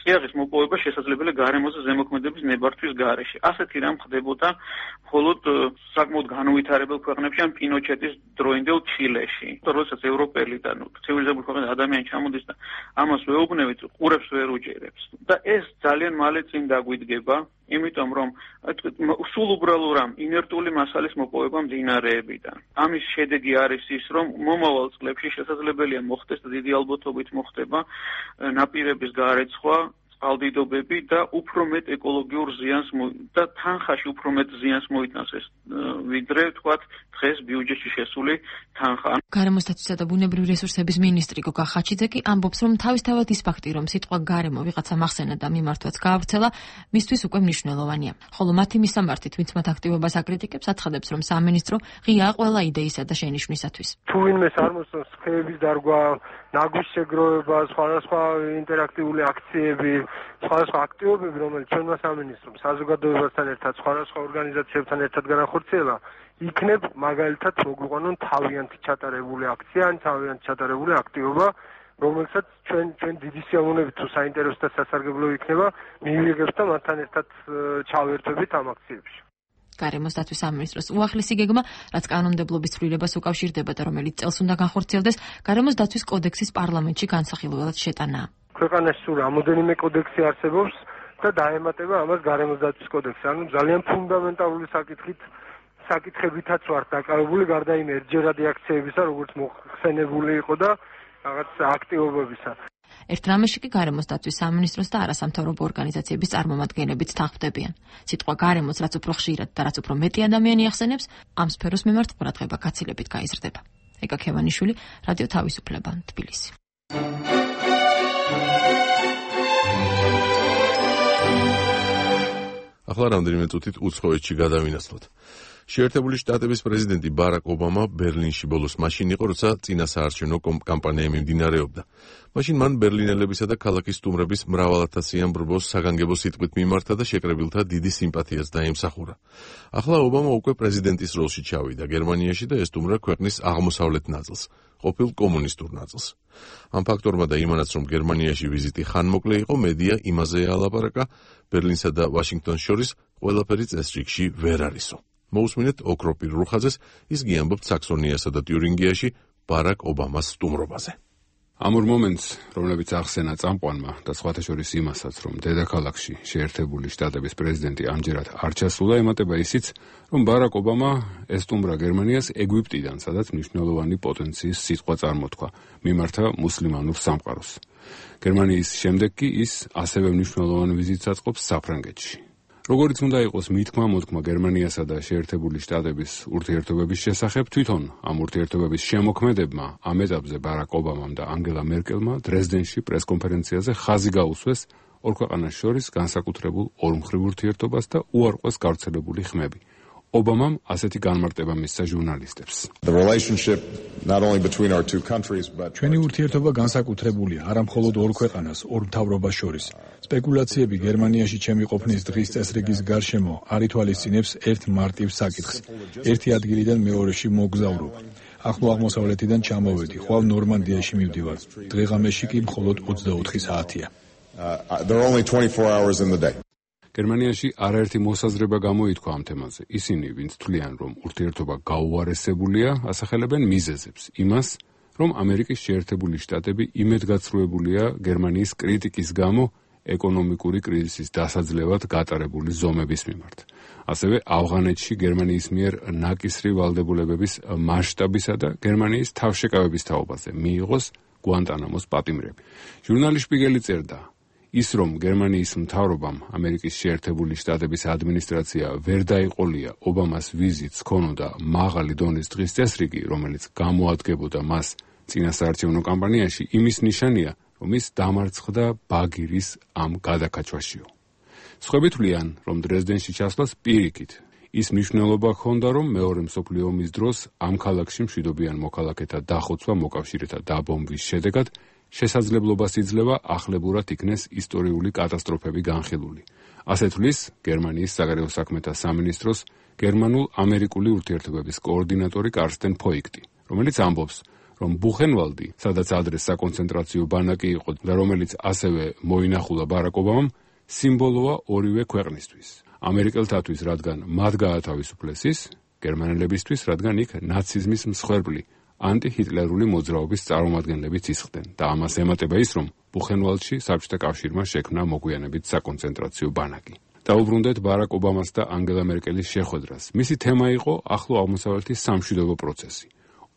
წიაღის მოპოვება შესაძლებელია გარემოზე ზემოქმედების ნებართვის გარეშე. ასეთი რამ ხდებოდა მხოლოდ საკმაოდ განუვითარებელ ქვეყნებში, ან პინოჩეტის დროინდელ ჩილეში. როდესაც ევროპელი და ცივილიზებული ქვეყნები ადამიანი ჩამოდის და ამას ვეუბნებით, ყურებს ვერ უჭერებს. და ეს ძალიან მალე წინ დაგვიდგება, იმიტომ რომ სულ უბრალოდ ამ ინერტული მასალის მოპოვება მდინარეებიდან. ამის შედეგი არის ის, რომ მომავალ წლებში შესაძლებელია მოხდეს და დიდი ალბათობით მოხდება ნაპირების გარეცხვა, წყალდიდობები და უფრო მეტ ეკოლოგიურ ზიანს და თანხაში უფრო მეტ ზიანს მოიტანს ეს ვიდრე თქვათ დღეს ბიუჯეტში შესული თანხა. გარემოს დაცვისა და ბუნებრივი რესურსების მინისტრი გოგა ხაჩიძე კი ამბობს, რომ თავისთავად ის ფაქტი, რომ სიტყვა გარემო ვიღაცა მახსენა და მიმართვაც გაავრცელა, მისთვის უკვე მნიშვნელოვანია. ხოლო მათი მისამართით, ვინც მათ აქტივობას აკრიტიკებს, აცხადებს, რომ სამინისტრო ღიაა ყველა იდეისა და შენიშვნისათვის. თუ ვინმეს არ მოსწონს ხეების დარგვა, ნაგვის შეგროვება, სხვადასხვა ინტერაქტიული აქციები, სხვადასხვა აქტივობები, რომელიც ჩვენმა სამინისტრომ საზოგადოებასთან ერთად, სხვადასხვა ორგანიზაციებთან ერთად განახორციელა, იქნებ მაგალითად მოგვიყვანონ თავიანთი ჩატარებული აქცია ან თავიანთი ჩატარებული აქტივობა, რომელსაც ჩვენ ჩვენ დიდი სიამოვნებით თუ საინტერესო და სასარგებლო იქნება, მივიღებთ და მათთან ერთად ჩავერთვებით ამ აქციებში. გარემოს დაცვის სამინისტროს უახლესი გეგმა, რაც კანონმდებლობის ცვლილებას უკავშირდება და რომელიც წელს უნდა განხორციელდეს, გარემოს დაცვის კოდექსის პარლამენტში განსახილველად შეტანაა. ქვეყანაში სულ რამოდენიმე კოდექსი არსებობს და დაემატება ამას გარემოს დაცვის კოდექსი. ანუ ძალიან ფუნდამენტალური საკითხით საკითხებითაც ვართ დაკავებული, გარდა იმ ერთჯერადი აქციებისა, როგორც მოხსენებული იყო და რაღაც აქტივობებისა. ერთ რამეში კი გარემოს დაცვის სამინისტროს და არასამთავრობო ორგანიზაციების წარმომადგენლებიც თანხმდებიან. სიტყვა გარემოს რაც უფრო ხშირად და რაც უფრო მეტი ადამიანი ახსენებს, ამ სფეროს მიმართ ყურადღება გაცილებით გაიზრდება. ეკა ქევანიშვილი, რადიო თავისუფლება, თბილისი. ახლა რამდენიმე წუთით უცხოეთში გადავინაცვლოთ. შეერთებული შტატების პრეზიდენტი ბარაკ ობამა ბერლინში ბოლოს მაშინ იყო, როცა წინა საარჩევნო კამპანია მიმდინარეობდა. მაშინ მან ბერლინელებისა და ქალაქის სტუმრების მრავალათასიან ბრბოს საგანგებო სიტყვით მიმართა და შეკრებილთა დიდი სიმპათიას დაემსახურა. ახლა ობამა უკვე პრეზიდენტის როლში ჩავიდა გერმანიაში და ესტუმრა ქვეყნის აღმოსავლეთ ნაწილს, ყოფილ კომუნისტურ ნაწილს. ამ ფაქტორმა და იმანაც, რომ გერმანიაში ვიზიტი ხანმოკლე იყო, მედია იმაზე ალაპარაკა, ბერლინსა და ვაშინგტონს შორის ყველაფერი წესრიგში ვერ არისო. მოусმინეთ ოქროპირ რუხაძეს, ის გიამბობთ საქსონიასა და თიურინგიაში ბარაკ ობამას სტუმრობაზე. ამ ორ მომენტს, რომლებიც ახსენა წამყვანმა და სხვათა შორის იმასაც, რომ დედაქალაქში შეერთებული შტატების პრეზიდენტი ამჯერად არ ჩასულა, ემატება ისიც, რომ ბარაკ ობამა ესტუმრა გერმანიას ეგვიპტიდან, სადაც მნიშვნელოვანი პოტენციის სიტყვა წარმოთქვა, მიმართა მუსლიმანურ სამყაროს. გერმანიის შემდეგ კი ის ასევე მნიშვნელოვან ვიზიტს აწყობს საფრანგეთში. როგორც უნდა იყოს მითქმა-მოთქმა გერმანიასა და შეერთებული შტატების ურთიერთობების შესახებ, თვითონ ამ ურთიერთობების შემოქმედებმა ამ ეტაპზე ბარაკ ობამამ და ანგელა მერკელმა დრეზდენში პრესკონფერენციაზე ხაზი გაუსვეს ორ ქვეყანას შორის განსაკუთრებულ ორმხრივ ურთიერთობას და უარყვეს გავრცელებული ხმები. ობამამ ასეთი განმარტება მისცა ჟურნალისტებს. ჩვენი ურთიერთობა განსაკუთრებულია არა მხოლოდ ორ ქვეყანას, ორ მთავრობას შორის. სპეკულაციები გერმანიაში ჩემი ყოფნის დღის წესრიგის გარშემო არ ითვალისწინებს ერთ მარტივ საკითხს. ერთი ადგილიდან მეორეში მოგზავრობ. ახლო აღმოსავლეთიდან ჩამოვედი, ხვალ ნორმანდიაში მივდივარ. დღეღამეში კი მხოლოდ ოცდაოთხი საათია. გერმანიაში არაერთი მოსაზრება გამოითქვა ამ თემაზე. ისინი, ვინც თვლიან, რომ ურთიერთობა გაუარესებულია, ასახელებენ მიზეზებს, იმას, რომ ამერიკის შეერთებული შტატები იმედგაცრუებულია გერმანიის კრიტიკის გამო ეკონომიკური კრიზისის დასაძლევად გატარებული ზომების მიმართ. ასევე ავღანეთში გერმანიის მიერ ნაკისრი ვალდებულებების მასშტაბისა და გერმანიის თავშეკავების თაობაზე მიიღოს გუანტანამოს პატიმრები. ჟურნალი შპიგელი წერდა, ის რომ გერმანიის მთავრობამ ამერიკის შეერთებული შტატების ადმინისტრაცია ვერ დაიყოლია ობამას ვიზიტს ქონოდა მაღალი დონის დღის წესრიგი, რომელიც გამოადგებოდა მას წინასაარჩევნო კამპანიაში, იმის ნიშანია, რომ ის დამარცხდა ბაგირის ამ გადაკაჩვაშიო. სხვები თვლიან, რომ დრეზდენში ჩასვლას პირიქით ის მნიშვნელობა ჰქონდა, რომ მეორე მსოფლიო ომის დროს ამ ქალაქში მშვიდობიან მოქალაქეთა დახოცვა მოკავშირეთა დაბომბვის შედეგად შესაძლებლობას იძლევა ახლებურად იქნეს ისტორიული კატასტროფები განხილული. ასე თვლის გერმანიის საგარეო საქმეთა სამინისტროს გერმანულ-ამერიკული ურთიერთობების კოორდინატორი კარსტენ ფოიქტი, რომელიც ამბობს, რომ ბუხენვალდი, სადაც ადრე საკონცენტრაციო ბანაკი იყო და რომელიც ასევე მოინახულა ბარაკ ობამამ, სიმბოლოა ორივე ქვეყნისთვის. ამერიკელთათვის, რადგან მათ გაათავისუფლეს ის, გერმანელებისთვის, რადგან იქ ნაციზმის მსხვერპლი ანტიჰიტლერული მოძრაობის წარმომადგენლებიც ისხდნენ და ამას ემატება ის, რომ ბუხენვალდში საბჭოთა კავშირმა შექმნა მოგვიანებით საკონცენტრაციო ბანაკი. დაუბრუნდეთ ბარაკ ობამას და ანგელა მერკელის შეხვედრას. მისი თემა იყო ახლო აღმოსავლეთის სამშვიდობო პროცესი.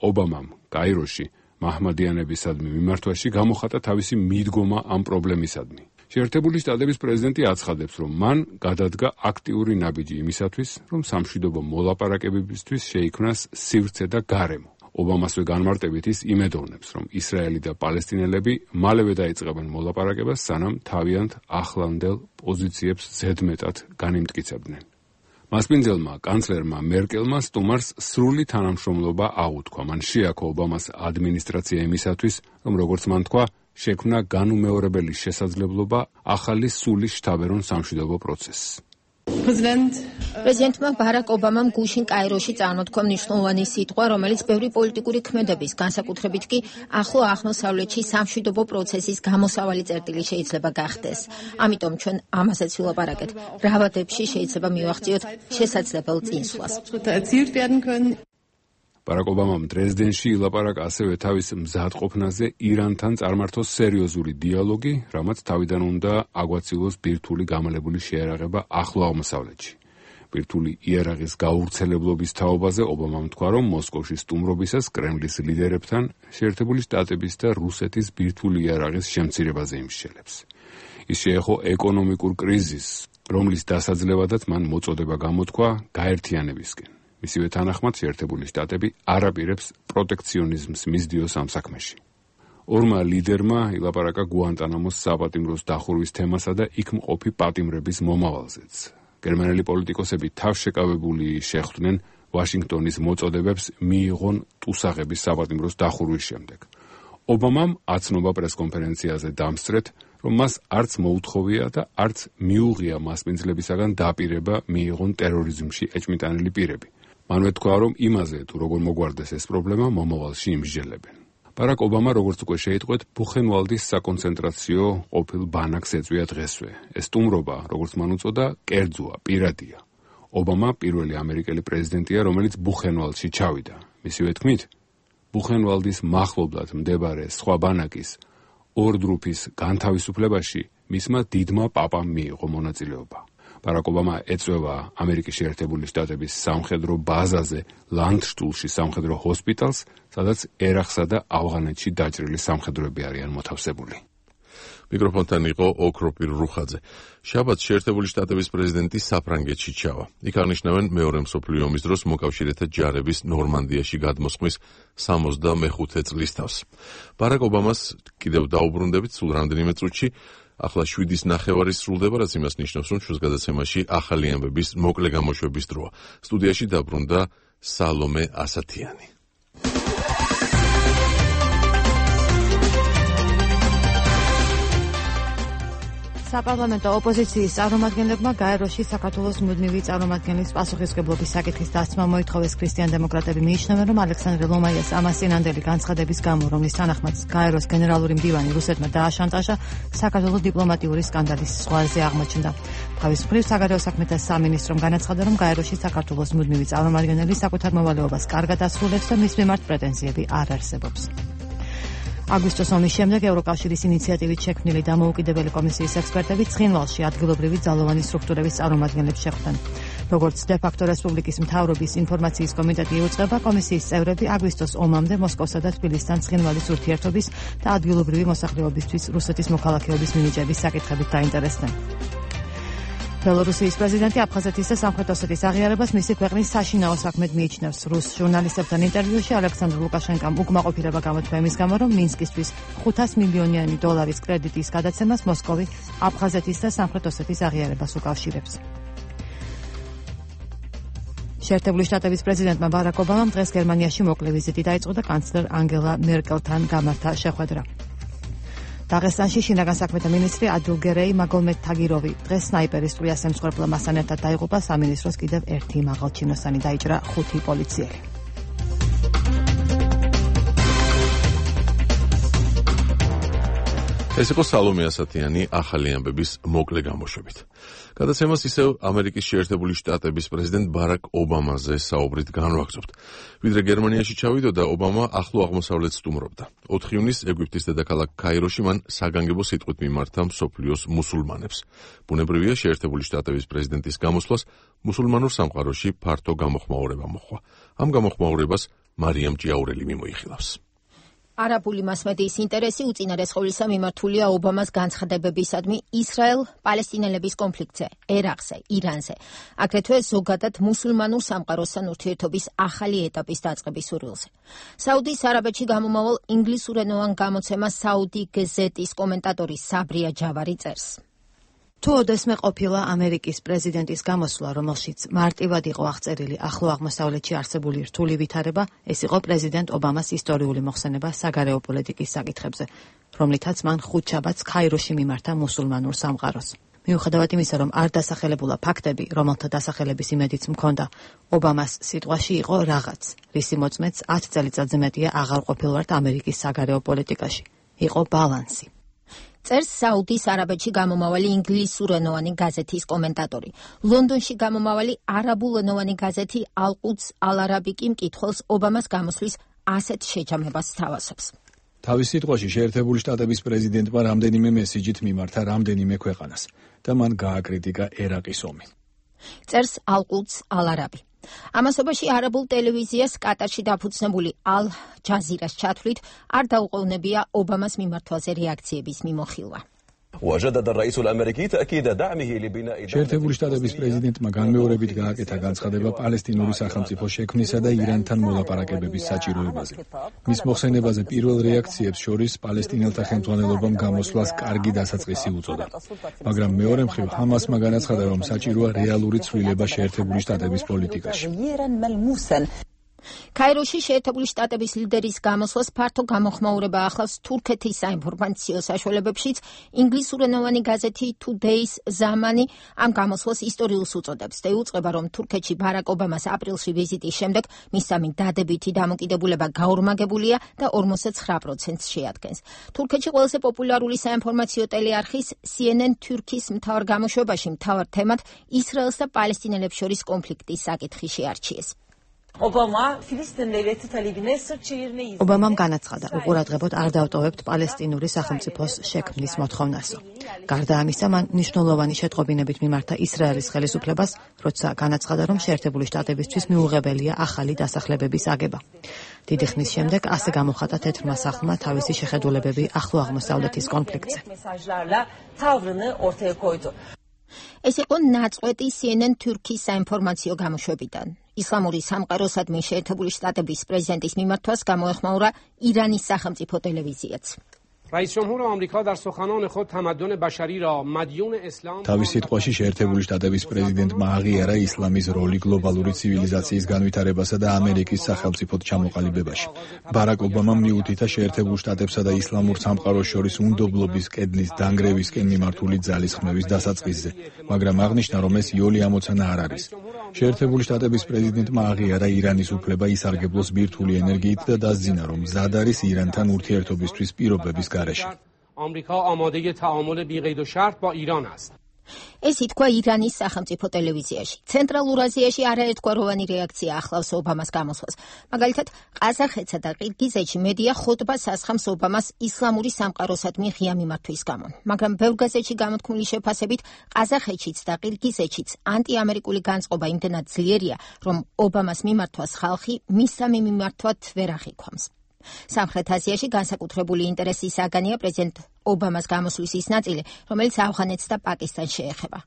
ობამამ კაიროში მაჰმადიანებისადმი მიმართვაში გამოხატა თავისი მიდგომა ამ პრობლემისადმი. შეერთებული შტატების პრეზიდენტი აცხადებს, რომ მან გადადგა აქტიური ნაბიჯი იმისათვის, რომ სამშვიდობო მოლაპარაკებებისთვის შეიქმნას სივრცე და გარემო. ობამასვე განმარტებით ის იმედოვნებს, რომ ისრაელი და პალესტინელები მალევე დაიწყებენ მოლაპარაკებას, სანამ თავიანთ ახლანდელ პოზიციებს ზედმეტად განიმტკიცებდნენ. მასპინძელმა კანცლერმა მერკელმა სტუმარს სრული თანამშრომლობა აუთქვა. მან შეაქო ობამას ადმინისტრაცია იმისათვის, რომ როგორც მან თქვა, შექმნა განუმეორებელი შესაძლებლობა ახალი სულის შთაბერონ სამშვიდობო პროცესს. პრეზიდენტმა ბარაკ ობამამ გუშინ კაიროში წარმოთქვა მნიშვნელოვანი სიტყვა, რომელიც ბევრი პოლიტიკური ქმედების, განსაკუთრებით კი ახლო აღმოსავლეთში სამშვიდობო პროცესის გამოსავალი წერტილი შეიძლება გახდეს. ამიტომ ჩვენ ამასაც ვილაპარაკეთ. რა ვადებში შეიძლება მივახციოთ შესაძლებელ წინსვლას. ბარაკ ობამამ დრეზდენში ილაპარაკა ასევე თავის მზადყოფნაზე ირანთან წარმართოს სერიოზული დიალოგი, რამაც თავიდან უნდა აგვაცილოს ბირთვული გამალებული შეერაღება ახლო აღმოსავლეთში. ბირთვული იარაღის გაურცელებლობის თაობაზე ობამამ თქვა, რომ მოსკოვში სტუმრობისას კრემლის ლიდერებთან შეერთებული შტატების და რუსეთის ბირთვული იარაღის შემცირებაზე იმსჯელებს. ის შეეხო ეკონომიკურ კრიზისს, რომლის დასაძლევადაც მან მოწოდება გამოთქვა გაერთიანებისკენ. მისივე თანახმად შეერთებული შტატები არ აპირებს პროტექციონიზმს მისდიოს ამ საქმეში. ორმა ლიდერმა ილაპარაკა გუანტანამოს საპატიმროს დახურვის თემასა და იქ მყოფი პატიმრების მომავალზეც. გერმანელი პოლიტიკოსები თავშეკავებული შეხვდნენ ვაშინგტონის მოწოდებებს მიიღონ ტუსაღების საპატიმროს დახურვის შემდეგ. ობამამ აცნობა პრესკონფერენციაზე დამსწრეთ, რომ მას არც მოუთხოვია და არც მიუღია მასპინძლებისაგან დაპირება მიიღონ ტერორიზმში ეჭმიტანილი პირები. მანვე თქვა, რომ იმაზე თუ როგორ მოგვარდეს ეს პრობლემა მომავალში იმსჯელებენ. ბარაკ ობამა, როგორც უკვე შეიტყვეთ, ბუხენვალდის საკონცენტრაციო ყოფილ ბანაკს ეწვია დღესვე. ეს სტუმრობა, როგორც მან უწოდა, კერძოა, პირადია. ობამა პირველი ამერიკელი პრეზიდენტია, რომელიც ბუხენვალდში ჩავიდა. მისივე თქმით, ბუხენვალდის მახლობლად მდებარე სხვა ბანაკის ორდრუფის განთავისუფლებაში მისმა დიდმა პაპამ მიიღო მონაწილეობა. ბარაკ ობამა ეწევა ამერიკის შეერთებული შტატების სამხედრო ბაზაზე ლანდშტულში სამხედრო ჰოსპიტალს, სადაც ერაყსა და ავღანეთში დაჭრილი სამხედროები არიან მოთავსებული. მიკროფონთან იყო ოქროპირ რუხაძე. შაბათს შეერთებული შტატების პრეზიდენტი საფრანგეთში ჩავა. იქ აღნიშნავენ მეორე მსოფლიო ომის დროს მოკავშირეთა ჯარების ნორმანდიაში გადმოსხმის სამოცდამეხუთე წლის თავს. ბარაკ ობამას კიდევ დაუბრუნდებით სულ რამდენიმე წუთში. ახლა შვიდის ნახევარი სრულდება, რაც იმას ნიშნავს, რომ ჩვენს გადაცემაში ახალი ამბების მოკლე გამოშვების დროა. სტუდიაში დაბრუნდა სალომე ასათიანი. საპარლამენტო ოპოზიციის წარმომადგენლებმა გაეროში საქართველოს მუდმივი წარმომადგენლის პასუხისმგებლობის საკითხის დასმა მოითხოვეს. ქრისტიან დემოკრატები მიიჩნევენ, რომ ალექსანდრე ლომაიას ამასინანდელი განცხადების გამო, რომლის თანახმად გაეროს გენერალური მდივანი რუსეთმა დააშანტაჟა, საქართველოს დიპლომატიური სკანდალის ზღვარზე აღმოჩნდა. თავის მხრივ საგარეო საქმეთა სამინისტრომ განაცხადა, რომ გაეროში საქართველოს მუდმივი წარმომადგენელი საკუთარ მოვალეობას კარგად ასრულებს და მის მიმართ პრეტენზიები არ არსებობს. აგვისტოს ომის შემდეგ ევროკავშირის ინიციატივით შექმნილი დამოუკიდებელი კომისიის ექსპერტები ცხინვალში ადგილობრივი ძალოვანი სტრუქტურების წარმომადგენლებს შეხვდნენ. როგორც დე-ფაქტო რესპუბლიკის მთავრობის ინფორმაციის კომიტეტი იუწყება, კომისიის წევრები აგვისტოს ომამდე მოსკოვსა და თბილისთან ცხინვალის ურთიერთობის და ადგილობრივი მოსახლეობისთვის რუსეთის მოქალაქეობის მინიჭების საკითხებით დაინტერესდნენ. ბელორუსიის პრეზიდენტი აფხაზეთის და სამხრეთ ოსეთის აღიარებას მისი ქვეყნის საშინაო საქმედ მიიჩნევს. რუს ჟურნალისტებთან ინტერვიუში ალექსანდრ ლუკაშენკამ უკმაყოფილება გამოთქვა იმის გამო, რომ მინსკისთვის ხუთას მილიონიანი დოლარის კრედიტის გადაცემას მოსკოვი აფხაზეთის და სამხრეთ ოსეთის აღიარებას უკავშირებს. შეერთებული შტატების პრეზიდენტმა ბარაკ ობამამ დღეს გერმანიაში მოკლე ვიზიტი დაიწყო და კანცლერ ანგელა მერკელთან გამართა შეხვედრა. დაღესტანში შინაგან საქმეთა მინისტრი ადილგერეი მაგომედ თაგიროვი დღეს სნაიპერის ტყვიას ემსხვერპლა მასთან ერთად დაიღუპა. სამინისტროს კიდევ ერთი მაღალჩინოსანი დაიჭრა, ხუთი პოლიციელი. ეს იყო სალომე ასათიანი ახალი ამბების მოკლე გამოშვებით. გადაცემას ისევ ამერიკის შეერთებული შტატების პრეზიდენტ ბარაკ ობამაზე საუბრით განვაგრძობთ. ვიდრე გერმანიაში ჩავიდოდა, ობამა ახლო აღმოსავლეთს სტუმრობდა. ოთხ ივნისს ეგვიპტის დედაქალაქ ქაიროში მან საგანგებო სიტყვით მიმართა მსოფლიოს მუსულმანებს. ბუნებრივია, შეერთებული შტატების პრეზიდენტის გამოსვლას მუსულმანურ სამყაროში ფართო გამოხმაურება მოჰყვა. ამ გამოხმაურებას მარიამ ჭიაურელი მიმოიხილავს. არაბული მასმედიის ინტერესი უწინარესხევლისა მიმართულია ობამას განცხადებებისადმი ისრაელ-პალესტინელების კონფლიქტზე, ერაყზე, ირანზე, აგრეთვე ზოგადად მუსულმანურ სამყაროსთან ურთიერთობის ახალი ეტაპის დაწყების სურვილზე. საუდის არაბეთში გამომავალ ინგლისურენოვან გამოცემას საუდი გეზეტის კომენტატორი საბრია ჯავარი წერს. თუ ოდესმე ყოფილა ამერიკის პრეზიდენტის გამოსვლა, რომელშიც მარტივად იყო აღწერილი ახლო აღმოსავლეთში არსებული რთული ვითარება, ეს იყო პრეზიდენტ ობამას ისტორიული მოხსენება საგარეო პოლიტიკის საკითხებზე, რომლითაც მან ხუთშაბათს ქაიროში მიმართა მუსულმანურ სამყაროს. მიუხედავად იმისა, რომ არ დასახელებულა ფაქტები, რომელთა დასახელების იმედიც მქონდა, ობამას სიტყვაში იყო რაღაც, რისი მოწმეც ათ წელიწადზე მეტია აღარ ყოფილვართ ამერიკის საგარეო პოლიტიკაში. იყო ბალანსი. წერს საუდის არაბეთში გამომავალი ინგლისურენოვანი გაზეთის კომენტატორი. ლონდონში გამომავალი არაბულენოვანი გაზეთი ალ-ყუდს ალ-არაბი კი მკითხველს ობამას გამოსვლის ასეთ შეჯამებას სთავაზობს. თავის სიტყვაში შეერთებული შტატების პრეზიდენტმა რამდენიმე მესიჯით მიმართა რამდენიმე ქვეყანას და მან გააკრიტიკა ერაყის ომი. წერს ალ-ყუდს ალ-არაბი. ამასობაში არაბულ ტელევიზიას კატარში დაფუძნებული ალ-ჯაზირას ჩათვლით არ დაუყოვნებია ობამას მიმართვაზე რეაქციების მიმოხილვა. შეერთებული შტატების პრეზიდენტმა განმეორებით გააკეთა განცხადება პალესტინური სახელმწიფო შექმნისა და ირანთან მოლაპარაკებების საჭიროებაზე. მის მოხსენებაზე პირველ რეაქციებს შორის პალესტინელთა ხელმძღვანელობამ გამოსვლას კარგი დასაწყისი უწოდა. მაგრამ მეორე მხრივ ჰამასმა განაცხადა, რომ საჭიროა რეალური ცვლილება შეერთებული შტატების პოლიტიკაში. ქაიროში შეერთებული შტატების ლიდერის გამოსვლას ფართო გამოხმაურება ახლავს თურქეთის საინფორმაციო საშუალებებშიც. ინგლისურენოვანი გაზეთი Today's Zamani ამ გამოსვლას ისტორიულს უწოდებს და იუწყება, რომ თურქეთში ბარაკ ობამას აპრილში ვიზიტის შემდეგ მისამი დადებითი დამოკიდებულება გაორმაგებულია და ორმოცდა ცხრა პროცენტს შეადგენს. თურქეთში ყველაზე პოპულარული საინფორმაციო ტელეარხის C N N თურქის მთავარ გამოშვებაში მთავარ თემად ისრაელს და პალესტინელებს შორის კონფლიქტის საკითხი შეარჩიეს. ობამამ განაცხადა, უყურადღებოდ არ დავტოვებთ პალესტინური სახელმწიფოს შექმნის მოთხოვნასო. გარდა ამისა, მან მნიშვნელოვანი შეტყობინებით მიმართა ისრაელის ხელისუფლებას, როცა განაცხადა, რომ შეერთებული შტატებისთვის მიუღებელია ახალი დასახლებების აგება. დიდი ხნის შემდეგ ასე გამოხატა თეთრმა სახლმა თავისი შეხედულებები ახლო აღმოსავლეთის კონფლიქტზე. ეს იყო ნაწყვეტი C N N თურქის საინფორმაციო გამოშვებიდან. ისლამური სამყაროსადმი შეერთებული შტატების პრეზიდენტის მიმართვას გამოეხმაურა ირანის სახელმწიფო ტელევიზიაც. თავის სიტყვაში შეერთებული შტატების პრეზიდენტმა აღიარა ისლამის როლი გლობალური ცივილიზაციის განვითარებასა და ამერიკის სახელმწიფოდ ჩამოყალიბებაში. ბარაკ ობამამ მიუთითა შეერთებულ შტატებსა და ისლამურ სამყაროს შორის უნდობლობის კედლის დანგრევისკენ მიმართული ძალისხმევის დასაწყისზე, მაგრამ აღნიშნა, რომ ეს იოლი ამოცანა არ არის. შეერთებული შტატების პრეზიდენტმა აღიარა ირანის უფლება ისარგებლოს ბირთვული ენერგიით და დასძინა, რომ მზად არის ირანთან ურთიერთობისთვის პირობების გარეშე. آمریکا آماده تعامل بی‌قید و شرط با ایران است. ეს ითქვა ირანის სახელმწიფო ტელევიზიაში. ცენტრალურ აზიაში არაერთგვაროვანი რეაქცია ახლავს ობამას გამოსვლას. მაგალითად, ყაზახეთსა და ყირგიზეთში მედია ხოტბას ასხამს ობამას ისლამური სამყაროსადმი ღია მიმართვის გამო. მაგრამ ბევრ გაზეთში გამოთქმული შეფასებით, ყაზახეთშიც და ყირგიზეთშიც ანტიამერიკული განწყობა იმდენად ძლიერია, რომ ობამას მიმართვას ხალხი მისამი მიმართვად ვერ აღიქვამს. სამხრეთ აზიაში განსაკუთრებული ინტერესის საგანია პრეზიდენტ ობამას გამოსვლის ის ნაწილი, რომელიც ავღანეთს და პაკისტანს შეეხება.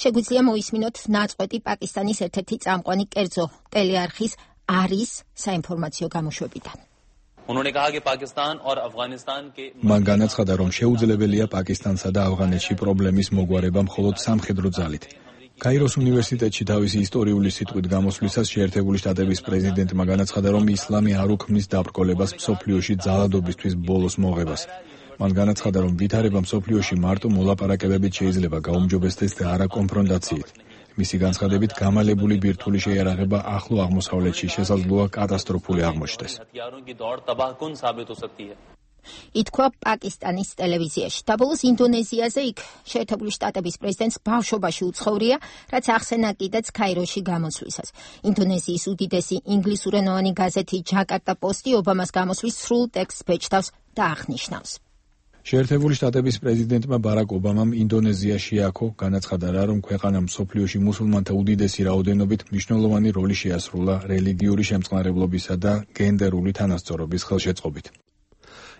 შეგვიძლია მოისმინოთ ნაწყვეტი პაკისტანის ერთ-ერთი წამყვანი კერძო ტელეარხის არის საინფორმაციო გამოშვებიდან. მან განაცხადა, რომ შეუძლებელია პაკისტანსა და ავღანეთში პრობლემის მოგვარება მხოლოდ სამხედრო ძალით. კაიროს უნივერსიტეტში თავისი ისტორიული სიტყვით გამოსვლისას შეერთებული შტატების პრეზიდენტმა განაცხადა, რომ ისლამი არ უქმნის დაბრკოლებას მსოფლიოში ძალადობისთვის ბოლოს მოღებას. მან განაცხადა, რომ ვითარება მსოფლიოში მარტო მოლაპარაკებებით შეიძლება გაუმჯობესდეს და არა კონფრონტაციით. მისი განცხადებით, გამალებული ბირთვული შეიარაღება ახლო აღმოსავლეთში შესაძლოა კატასტროფული აღმოჩნდეს. ითქვა პაკისტანის ტელევიზიაში. დაბოლოს ინდონეზიაზე იქ შეერთებული შტატების პრეზიდენტს ბავშვობაში უცხოვრია, რაც ახსენა კიდეც ქაიროში გამოსვლისას. ინდონეზიის უდიდესი ინგლისურენოვანი გაზეთი ჯაკარტა პოსტი ობამას გამოსვლის სრულ ტექსტს ბეჭდავს და აღნიშნავს. შეერთებული შტატების პრეზიდენტმა ბარაკ ობამამ ინდონეზია შეაქო, განაცხადა რა, რომ ქვეყანამ მსოფლიოში მუსულმანთა უდიდესი რაოდენობით მნიშვნელოვანი როლი შეასრულა რელიგიური შემწყნარებლობისა და გენდერული თანასწორობის ხელშეწყობით.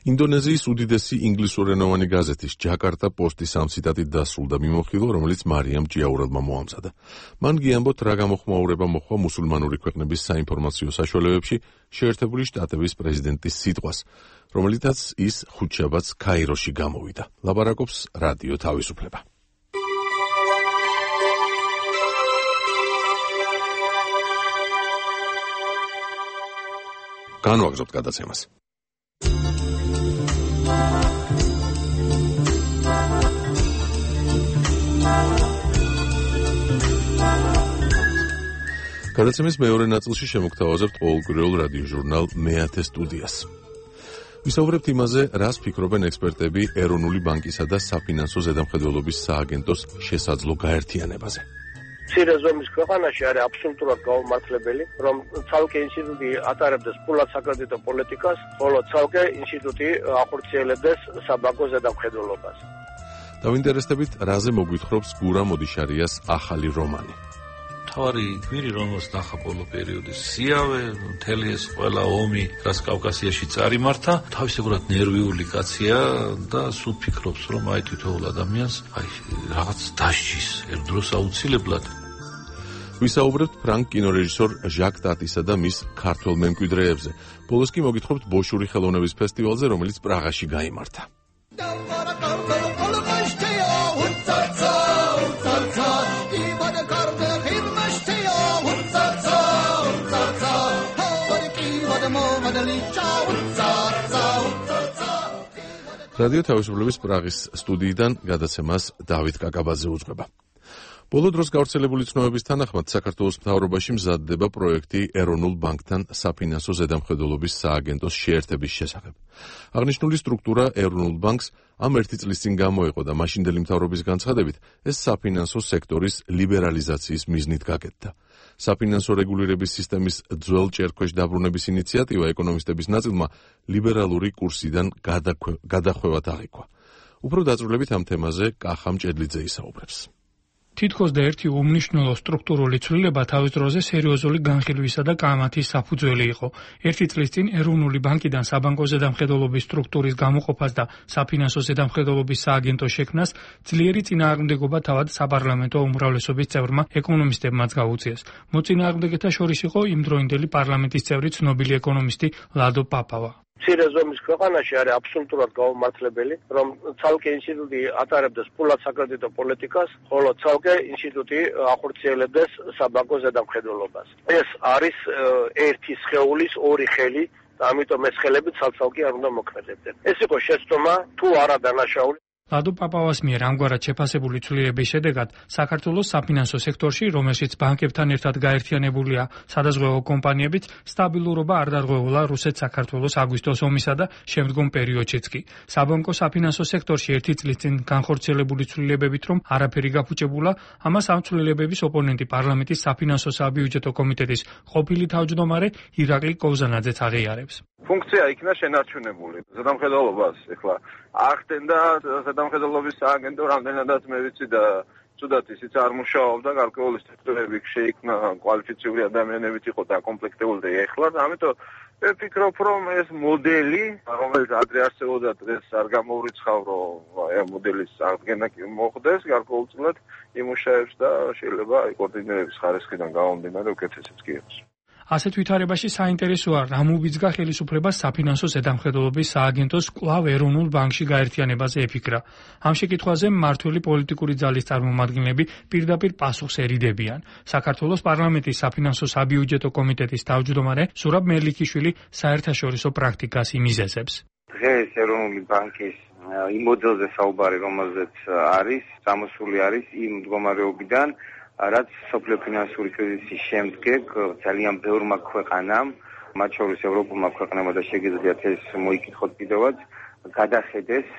ინდონეზიის უდიდესი ინგლისურენოვანი გაზეთის ჯაკარტა პოსტის ამ ციტატით დასრულდა მიმოხილვა, რომელიც მარიამ ჭიაურელმა მოამზადა. მან გიამბოთ, რა გამოხმაურება მოხდა მუსულმანური ქვეყნების საინფორმაციო საშუალებებში შეერთებული შტატების პრეზიდენტის სიტყვას, რომელიცაც ის ხუთშაბათს ქაიროში გამოვიდა. ლაპარაკობს რადიო თავისუფლება. განვაგრძობთ გადაცემას. გადაცემის მეორე ნაწილში შემოგთავაზებთ ყოველკვირეულ რადიო ჟურნალ მეათე სტუდიას. ვისაუბრებთ იმაზე, რას ფიქრობენ ექსპერტები ეროვნული ბანკისა და საფინანსო ზედამხედველობის სააგენტოს შესაძლო გაერთიანებაზე. მცირე ზომის ქვეყანაში არის აბსოლუტურად გაუმართლებელი, რომ ცალკე ინსტიტუტი ატარებდეს ფულად საკრედიტო პოლიტიკას, ხოლო ცალკე ინსტიტუტი ახორციელებდეს საბანკო ზედამხედველობას. დავინტერესდებით, რაზე მოგვითხრობს გურამ ოდიშარიას ახალი რომანი. თავარი გვირი, რომელს ნახა ბოლო პერიოდის სიავე, მთელი ეს ყველა ომი, რაც კავკასიაში წარიმართა, თავისებურად ნერვიული კაცია და სულ ფიქრობს, რომ აი თითოეულ ადამიანს აი რაღაც დასჯის ერთ დროს აუცილებლად. ვისაუბრებთ ფრანგ კინორეჟისორ ჟაკ ტატისა და მის ქართველ მემკვიდრეებზე. ბოლოს კი მოგითხრობთ ბოშური ხელოვნების ფესტივალზე, რომელიც პრაღაში გაიმართა. რადიო თავისუფლების პრაღის სტუდიიდან გადაცემას დავით კაკაბაძე უძღვება. ბოლო დროს გავრცელებული ცნობების თანახმად საქართველოს მთავრობაში მზადდება პროექტი ეროვნულ ბანკთან საფინანსო ზედამხედველობის სააგენტოს შეერთების შესახებ. აღნიშნული სტრუქტურა ეროვნულ ბანკს ამ ერთი წლის წინ გამოეყო და მაშინდელი მთავრობის განცხადებით ეს საფინანსო სექტორის ლიბერალიზაციის მიზნით გაკეთდა. საფინანსო რეგულირების სისტემის ძველ ჭერქვეშ დაბრუნების ინიციატივა ეკონომისტების ნაწილმა ლიბერალური კურსიდან გადახვევად აღიქვა. უფრო დაწვრილებით ამ თემაზე კახა მჭედლიძე ისაუბრებს. თითქოს და ერთი უმნიშვნელო სტრუქტურული ცვლილება თავის დროზე სერიოზული განხილვისა და კამათის საფუძველი იყო. ერთი წლის წინ ეროვნული ბანკიდან საბანკო ზედამხედველობის სტრუქტურის გამოყოფას და საფინანსო ზედამხედველობის სააგენტოს შექმნას ძლიერი წინააღმდეგობა თავად საპარლამენტო უმრავლესობის წევრმა ეკონომისტებმაც გაუწიეს. მოწინააღმდეგეთა შორის იყო იმდროინდელი პარლამენტის წევრი ცნობილი ეკონომისტი ლადო პაპავა. მცირე ზომის ქვეყანაში არის აბსოლუტურად გაუმართლებელი, რომ ცალკე ინსტიტუტი ატარებდეს ფულად საკრედიტო პოლიტიკას, ხოლო ცალკე ინსტიტუტი ახორციელებდეს საბანკო ზედამხედველობას. ეს არის ერთი სხეულის ორი ხელი და ამიტომ ეს ხელები ცალ-ცალკე არ უნდა მოქმედებდნენ. ეს იყო შეცდომა თუ არა დანაშაული. ლადო პაპავას მიერ ამგვარად შეფასებული ცვლილების შედეგად საქართველოს საფინანსო სექტორში, რომელშიც ბანკებთან ერთად გაერთიანებულია სადაზღვევო კომპანიებიც, სტაბილურობა არ დარღვეულა რუსეთ-საქართველოს აგვისტოს ომისა და შემდგომ პერიოდშიც კი. საბანკო საფინანსო სექტორში ერთი წლის წინ განხორციელებული ცვლილებებით რომ არაფერი გაფუჭებულა, ამას ამ ცვლილებების ოპონენტი პარლამენტის საფინანსო საბიუჯეტო კომიტეტის ყოფილი თავმჯდომარე ირაკლი კოვზანაძეც აღიარებს. ფუნქცია იქნა შენარჩუნებული. ზედამხედველობას ეხლა ახდენდა ზედამხედველობის სააგენტო რამდენადაც მე ვიცი და ცუდად ისიც არ მუშაობდა, გარკვეული სტრუქტურები შეიქმნა, კვალიფიციური ადამიანებით იყო დაკომპლექტებული და ეხლა ამიტომ მე ვფიქრობ, რომ ეს მოდელი, რომელიც ადრე არსებობდა, დღეს არ გამოვრიცხავ, რომ აი მოდელის აღდგენა კი მოხდეს, გარკვეულწილად იმუშავებს და შეიძლება აი კოორდინირების ხარისხიდან გამომდინარე უკეთესიც კი იყოს. ასეთ ვითარებაში საინტერესოა რა მოვიძგა ხელისუფლებას საფინანსო ზედამხედველობის სააგენტოს კვლავ ეროვნულ ბანკში გაერთიანებაზე ეფიქრა. ამ შეკითხვაზე მმართველი პოლიტიკური ძალის წარმომადგენლები პირდაპირ პასუხს ერიდებიან. საქართველოს პარლამენტის საფინანსო საბიუჯეტო კომიტეტის თავმჯდომარე ზურაბ მერლიქიშვილი საერთაშორისო პრაქტიკას იმიზეზებს. დღეს ეროვნული ბანკის იმ მოდელზე საუბარი, რომელზეც არის, წამოსული არის იმ მდგომარეობიდან, რაც სოფლიო ფინანსური კრიზისის შემდგომ ძალიან ბევრმა ქვეყანამ, მათ შორის ევროპულმა ქვეყნებმა და შეგიძლიათ ეს მოიკითხოთ კიდევაც, გადახედეს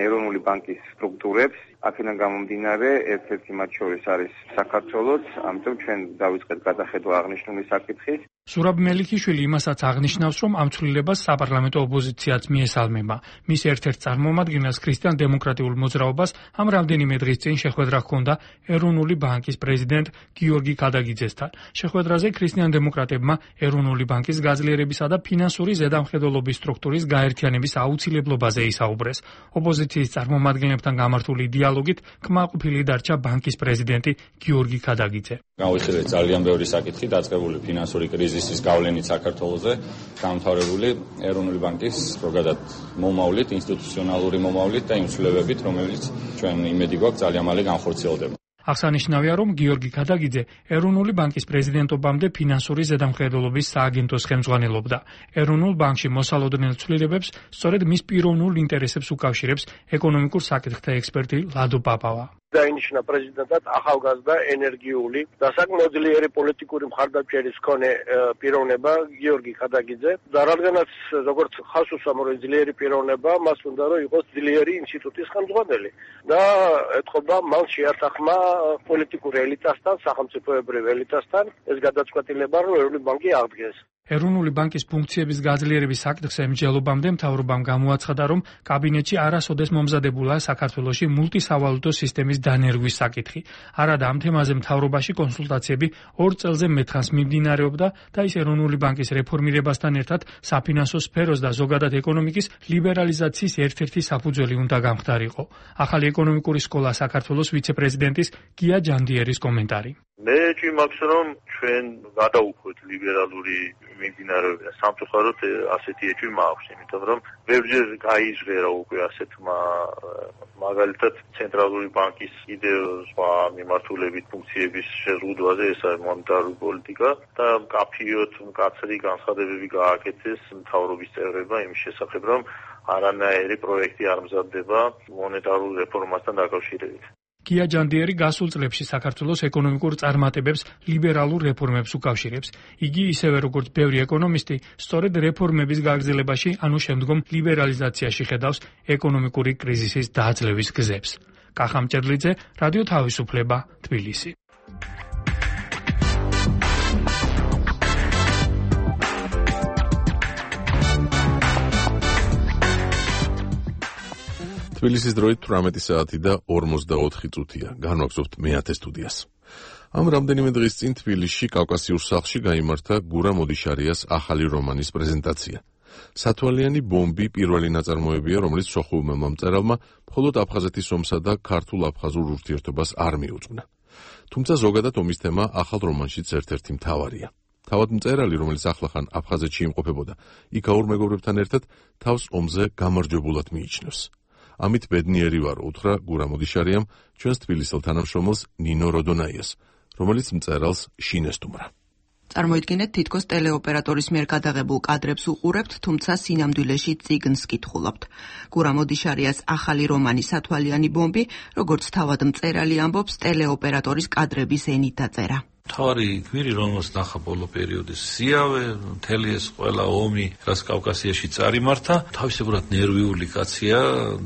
ეროვნული ბანკის სტრუქტურებს. აქედან გამომდინარე, ერთ-ერთი მათ შორის არის საქართველოც, ამიტომ ჩვენ დავიწყეთ გადახედვა აღნიშნული საკითხის. ზურაბ მელიქიშვილი იმასაც აღნიშნავს, რომ ამ ცვლილებას საპარლამენტო ოპოზიციაც მიესალმება. მის ერთ-ერთ წარმომადგენელს ქრისტიან დემოკრატიულ მოძრაობას ამ რამდენიმე დღის წინ შეხვედრა ჰქონდა ეროვნული ბანკის პრეზიდენტ გიორგი ქადაგიძესთან. შეხვედრაზე ქრისტიან დემოკრატებმა ეროვნული ბანკის გაძლიერებისა და ფინანსური ზედამხედველობის სტრუქტურის გაერთიანების აუცილებლობაზე ისაუბრეს. ოპოზიციის წარმომადგენლებთან გამართული დიალოგით კმაყოფილი დარჩა ბანკის პრეზიდენტი გიორგი ქადაგიძე. გავიხილეთ ძალიან ბევრი საკითხი დაწყებული ფინანსური კრიზისის გავლენით საქართველოზე, გამთავრებული ეროვნული ბანკის ზოგადად მომავლით, ინსტიტუციონალური მომავლით და იმ ცვლილებებით, რომელიც ჩვენ იმედი გვაქვს ძალიან მალე განხორციელდება. აღსანიშნავია, რომ გიორგი ქადაგიძე ეროვნული ბანკის პრეზიდენტობამდე ფინანსური ზედამხედველობის სააგენტოს ხელმძღვანელობდა. ეროვნულ ბანკში მოსალოდნელ ცვლილებებს სწორედ მის პიროვნულ ინტერესებს უკავშირებს ეკონომიკურ საკითხთა ექსპერტი ლადო პაპავა. დაინიშნა პრეზიდენტად ახალგაზრდა ენერგიული და საკმაოდ ძლიერი პოლიტიკური მხარდამჭერის მქონე პიროვნება გიორგი ქადაგიძე და რადგანაც როგორც ხალხს უსამართლო ძლიერი პიროვნება, მას უნდა რომ იყოს ძლიერი ინსტიტუტის ხელმძღვანელი და ეთყობა მან შეართახმა პოლიტიკურ ელიტასთან, სახელმწიფოებრივ ელიტასთან ეს გადაწყვეტილება, რომ ეროვნული ბანკი აღდგეს. ეროვნული ბანკის ფუნქციების გაძლიერების საკითხზე მსჯელობამდე მთავრობამ გამოაცხადა, რომ კაბინეტში არასოდეს მომზადებულა საქართველოში მულტისავალუტო სისტემის დანერგვის საკითხი. არადა ამ თემაზე მთავრობაში კონსულტაციები ორ წელზე მეთხანს მიმდინარეობდა და ის ეროვნული ბანკის რეფორმირებასთან ერთად საფინანსო სფეროს და ზოგადად ეკონომიკის ლიბერალიზაციის ერთ-ერთი საფუძველი უნდა გამხდარიყო. ახალი ეკონომიკური სკოლა საქართველოს ვიცე-პრეზიდენტის გია ჯანდიერის კომენტარი. მე ჭიმaks რომ ჩვენ გადაუხვეთ ლიბერალური მიმდინარეობიდან. სამწუხაროდ ასეთი ეჭვი მაქვს, იმიტომ რომ ბევრჯერ გაიზღერა უკვე ასეთმა მაგალითად ცენტრალური ბანკის კიდევ სხვა მიმართულებით ფუნქციების შეზღუდვაზე, ეს არის მონეტარული პოლიტიკა და კაფიოთ მკაცრი განცხადებები გააკეთეს მთავრობის წევრებმა იმის შესახებ, რომ არანაირი პროექტი არ მზადდება მონეტარულ რეფორმასთან დაკავშირებით. გია ჯანდიერი გასულ წლებში საქართველოს ეკონომიკურ წარმატებებს ლიბერალურ რეფორმებს უკავშირებს. იგი ისევე როგორც ბევრი ეკონომისტი, სწორედ რეფორმების გაგრძელებაში, ანუ შემდგომ ლიბერალიზაციაში ხედავს ეკონომიკური კრიზისის დაძლევის გზებს. კახა მჭედლიძე, რადიო თავისუფლება, თბილისი. თბილისის დროით თვრამეტი საათი და ორმოცდაოთხი წუთია. განვაგრძობთ მეათე სტუდიას. ამ რამდენიმე დღის წინ თბილისში კავკასიურ სახლში გაიმართა გურამ ოდიშარიას ახალი რომანის პრეზენტაცია. სათვალიანი ბომბი პირველი ნაწარმოებია, რომელიც სოხუმმა მომწერალმა მხოლოდ აფხაზეთის ომსა და ქართულ-აფხაზურ ურთიერთობას არ მიუძღვნა. თუმცა ზოგადად ომის თემა ახალ რომანშიც ერთ-ერთი მთავარია. თავად მწერალი, რომელიც ახლახან აფხაზეთში იმყოფებოდა, იქაურ მეგობრებთან ერთად თავს ომზე გამარჯვებულად მიიჩნევს. ამით ბედნიერი ვარ, უთხრა გურამ ოდიშარიამ ჩვენს თბილისელ თანამშრომელს ნინო როდონაიას, რომელიც მწერალს შინესტუმრა. წარმოიდგინეთ, თითქოს ტელეოპერატორის მიერ გადაღებულ კადრებს უყურებთ, თუმცა სინამდვილეში წიგნს კითხულობთ. გურამ ოდიშარიას ახალი რომანი სათვალიანი ბომბი, როგორც თავად მწერალი ამბობს, ტელეოპერატორის კადრების ენით დაწერა. თავარი გმირი, რომელსაც ნახა ბოლო პერიოდის სიავე, მთელი ეს ყველა ომი, რაც კავკასიაში წარიმართა, თავისებურად ნერვიული კაცია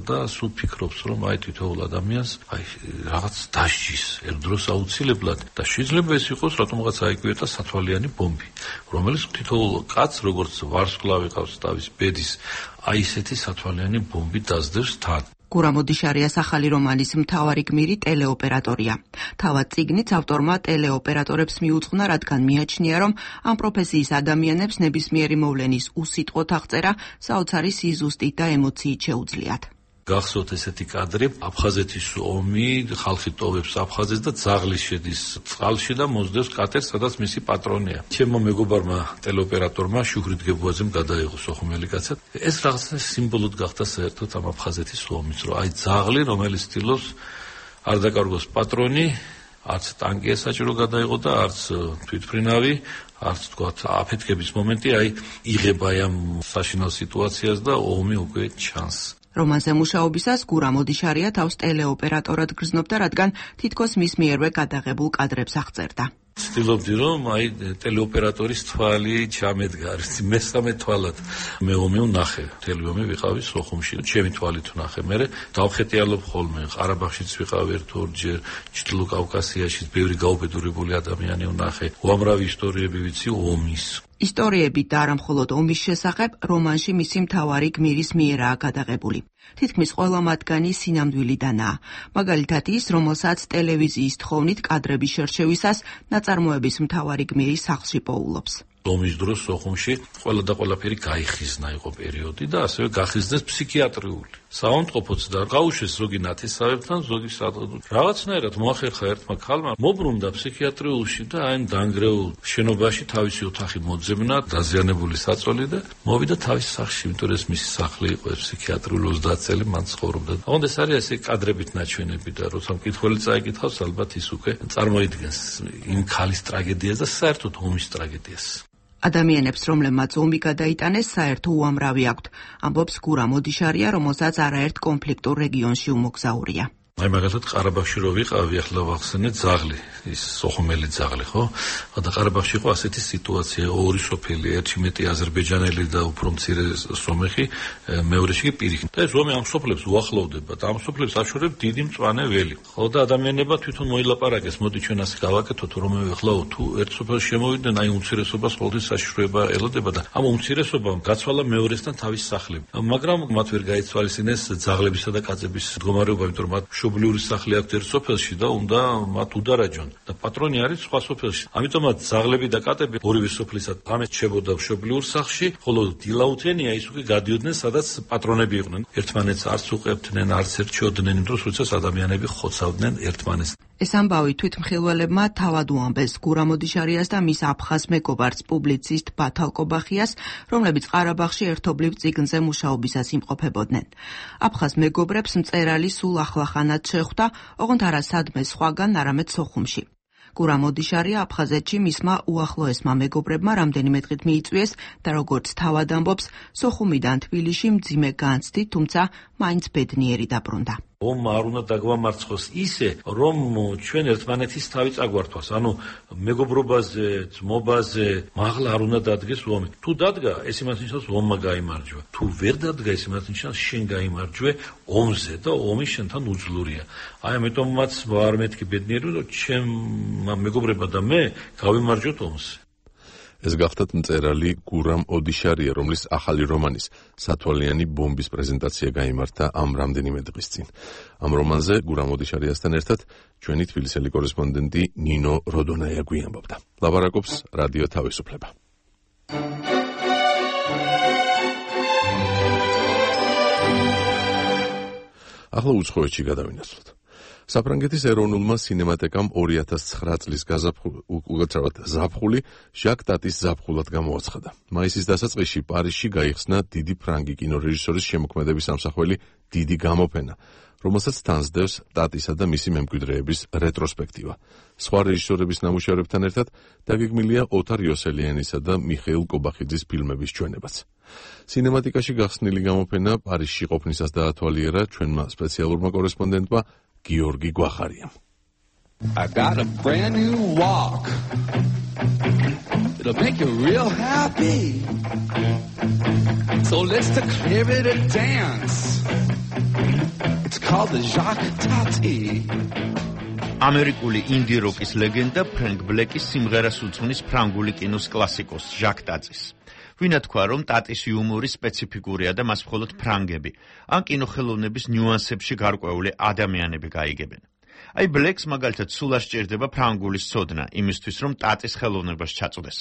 და სულ ფიქრობს, რომ აი თითოეულ ადამიანს აი რაღაც დასჯის ერთდროს აუცილებლად და შეიძლება ეს იყოს რატომღაც აიკვიეტა სათვალიანი ბომბი, რომელიც თითოეულ კაცს, როგორც ვარსკვლავი ყავს თავის ბედის, აი ესეთი სათვალიანი ბომბი დასდევს თან. გურამ ოდიშარიას ახალი რომანის მთავარი გმირი ტელეოპერატორია. თავად წიგნიც ავტორმა ტელეოპერატორებს მიუძღვნა, რადგან მიაჩნია, რომ ამ პროფესიის ადამიანებს ნებისმიერი მოვლენის უსიტყვოდ აღწერა საოცარი სიზუსტით და ემოციით შეუძლიათ. გახსოვთ ესეთი კადრი, აფხაზეთის ომი, ხალხი ტოვებს აფხაზეთს და ძაღლი შედის წყალში და მოსდევს კატერს, სადაც მისი პატრონია. ჩემმა მეგობარმა ტელეოპერატორმა შუქრით გებუაძემ გადაიღო სოხუმელი კაცად. ეს რაღაცა სიმბოლოდ გახდა საერთოდ ამ აფხაზეთის ომის, რომ აი ძაღლი, რომელიც ცდილობს არ დაკარგოს პატრონი, არც ტანკი საჭირო გადაიღო და არც თვითმფრინავი, არც თქვათ აფეთქების მომენტი, აი იღება ამ საშინელ სიტუაციას და ომი უკვე ჩანს. რომანზე მუშაობისას გურამ ოდიშარია თავს ტელეოპერატორად გრძნობდა, რადგან თითქოს მის მიერვე გადაღებულ კადრებს აღწერდა. ცდილობდი, რომ აი ტელეოპერატორის თვალი ჩამედგარს, მესამე თვალად მე ომი ვნახე. მთელი ომი ვიყავი სოხუმში, ჩემი თვალით ვნახე. მე დავხეტიალობ ხოლმე, ყარაბაღშიც ვიყავ ერთ-ორჯერ, ჩრდილო კავკასიაშიც ბევრი გაუბედურებული ადამიანი ვნახე. უამრავი ისტორიები ვიცი ომის. ისტორიები და არა მხოლოდ ომის შესახებ რომანში მისი მთავარი გმირის მიერაა გადაღებული. თითქმის ყველა მათგანი სინამდვილიდანაა. მაგალითად ის, რომელსაც ტელევიზიის თხოვნით კადრების შერჩევისას ნაწარმოების მთავარი გმირი სახლში პოულობს. ომის დროს სოხუმში ყველა და ყველაფერი გაიხიზნა იყო პერიოდი და ასევე გახიზნეს ფსიქიატრიული. საავადმყოფოც და გაუშვეს ზოგი ნათესავებთან, ზოგი რაღაცნაირად მოახერხა ერთმა ქალმა, მობრუნდა ფსიქიატრიულში და აი დანგრეულ შენობაში თავისი ოთახი მოძებნა, დაზიანებული საწოლი და მოვიდა თავის სახლში, იმიტომ რომ მისი სახლი იყო ფსიქიატრიული ოცდაათ წელი მან ცხოვრობდა. აღონდა ეს არის ესე კადრებით ნაჩვენები და როცა მკითხველი წაიკითხავს, ალბათ ის უკვე წარმოიდგენს იმ ქალის ტრაგედიას და საერთოდ ომის ტრაგედიას. ადამიანებს, რომლებმაც ომი გადაიტანეს, საერთო უამრავი აქვთ, ამბობს გურამ ოდიშარია, რომელსაც არაერთ კონფლიქტურ რეგიონში უმოგზაურია. აი მაგალითად ყარაბაღში რო ვიყავი, ახლა ვახსენე ძაღლი, ის სოხუმელი ძაღლი, ხო? და ყარაბაღში იყო ასეთი სიტუაცია, ორი სოფელი, ერთი მეტი აზერბაიჯანელი და უფრო მცირე სომეხი, მეორეში კი პირიქით. და ეს ომი ამ სოფლებს უახლოვდება და ამ სოფლებს აშორებს დიდი მწვანე ველი. ხო და ადამიანებმა თვითონ მოილაპარაკეს, მოდი ჩვენ ასე გავაკეთოთ, რომ ეხლა თუ ერთ სოფელში შემოვიდნენ, აი უმცირესობას ყოველთვის საშიშროება ელოდება და ამ უმცირესობამ გაცვალა მეორესთან თავის სახლები. მაგრამ მათ ვერ გაიცვალისინეს ძაღლებისა და კაცების მდგომარეობა, იმიტომ რომ მათ მშობლიური სახლი აქვთ ერთ სოფელში და უნდა მათ udaraჯონ და პატრონი არის სხვა სოფელში. ამიტომაც ძაღლები და კატები ორივე სოფლისა ამეთ შებოდა მშობლიურ სახლში, ხოლო დილაუთენია ის უკვე გადიოდნენ, სადაც პატრონები იყვნენ. ერთმანეთს არც უყებდნენ, არც ერჩიოდნენ იმ დროს, როდესაც ადამიანები ხოცავდნენ ერთმანეთს. ეს ამბავი თვითმხილველებმა თავად უამბეს გურამ ოდიშარიას და მის აფხაზ მეგობარს პუბლიცისტ ბათალ კობახიას, რომლებიც ყარაბაღში ერთობლივ წიგნზე მუშაობისას იმყოფებოდნენ. აფხაზ მეგობრებს მწერალი სულ ახლახანად შეხვდა, ოღონდ არა სადმე სხვაგან, არამედ სოხუმში. გურამ ოდიშარია აფხაზეთში მისმა უახლოესმა მეგობრებმა რამდენიმე დღით მიიწვიეს და როგორც თავად ამბობს, სოხუმიდან თბილისში მძიმე განცდით, თუმცა მაინც ბედნიერი დაბრუნდა. ომმა არ უნდა დაგვამარცხოს ისე, რომ ჩვენ ერთმანეთის თავი წაგვართვას. ანუ მეგობრობაზე, ძმობაზე, მაღლა არ უნდა დადგეს ომი. თუ დადგა, ეს იმას ნიშნავს ომმა გაიმარჯვა. თუ ვერ დადგა, ეს იმას ნიშნავს შენ გაიმარჯვე ომზე და ომი შენთან უძლურია. აი ამიტომაც ვარ მეთქი ბედნიერი, რომ ჩემ მეგობრებმა და მე გავიმარჯვოთ ომს. ეს გახდათ მწერალი გურამ ოდიშარია, რომლის ახალი რომანის სათვალიანი ბომბის პრეზენტაცია გაიმართა ამ რამდენიმე დღის წინ. ამ რომანზე გურამ ოდიშარიასთან ერთად ჩვენი თბილისელი კორესპონდენტი ნინო როდონაია გვიამბობდა. ლაპარაკობს რადიო თავისუფლება. ახლა უცხოეთში გადავინაცვლოთ. საფრანგეთის ეროვნულმა სინემატეკამ ორი ათას ცხრა წლის ზაფხული ჟაკ ტატის ზაფხულად გამოაცხადა. მაისის დასაწყისში პარიზში გაიხსნა დიდი ფრანგი კინორეჟისორის შემოქმედების ამსახველი დიდი გამოფენა, რომელსაც თანსდევს ტატისა და მისი მემკვიდრეების რეტროსპექტივა. სხვა რეჟისორების ნამუშევრებთან ერთად დაგეგმილია ოთარ იოსელიანისა და მიხეილ კობახიძის ფილმების ჩვენებაც. სინემატიკაში გახსნილი გამოფენა პარიზში ყოფნისას დაათვალიერა ჩვენმა სპეციალურმა კორესპონდენტმა გიორგი გვახარიამ. I got a brand new walk. It'll make you real happy. So let's declare it a dance. It's called the Jacques Tati. ამერიკული ინდი როკის ლეგენდა ფრენკ ბლეკის სიმღერას უძღვნის ფრანგული კინოს კლასიკოს ჟაკ ტატის. ვინა თქვა, რომ ტატის იუმორი სპეციფიკურია და მას მხოლოდ ფრანგები, ან კინოხელოვნების ნიუანსებში გარკვეული ადამიანები გაიგებენ. აი ბლეკს მაგალითად სულ არ სჭირდება ფრანგულის ცოდნა, იმისთვის რომ ტატის ხელოვნებას ჩაწვდეს.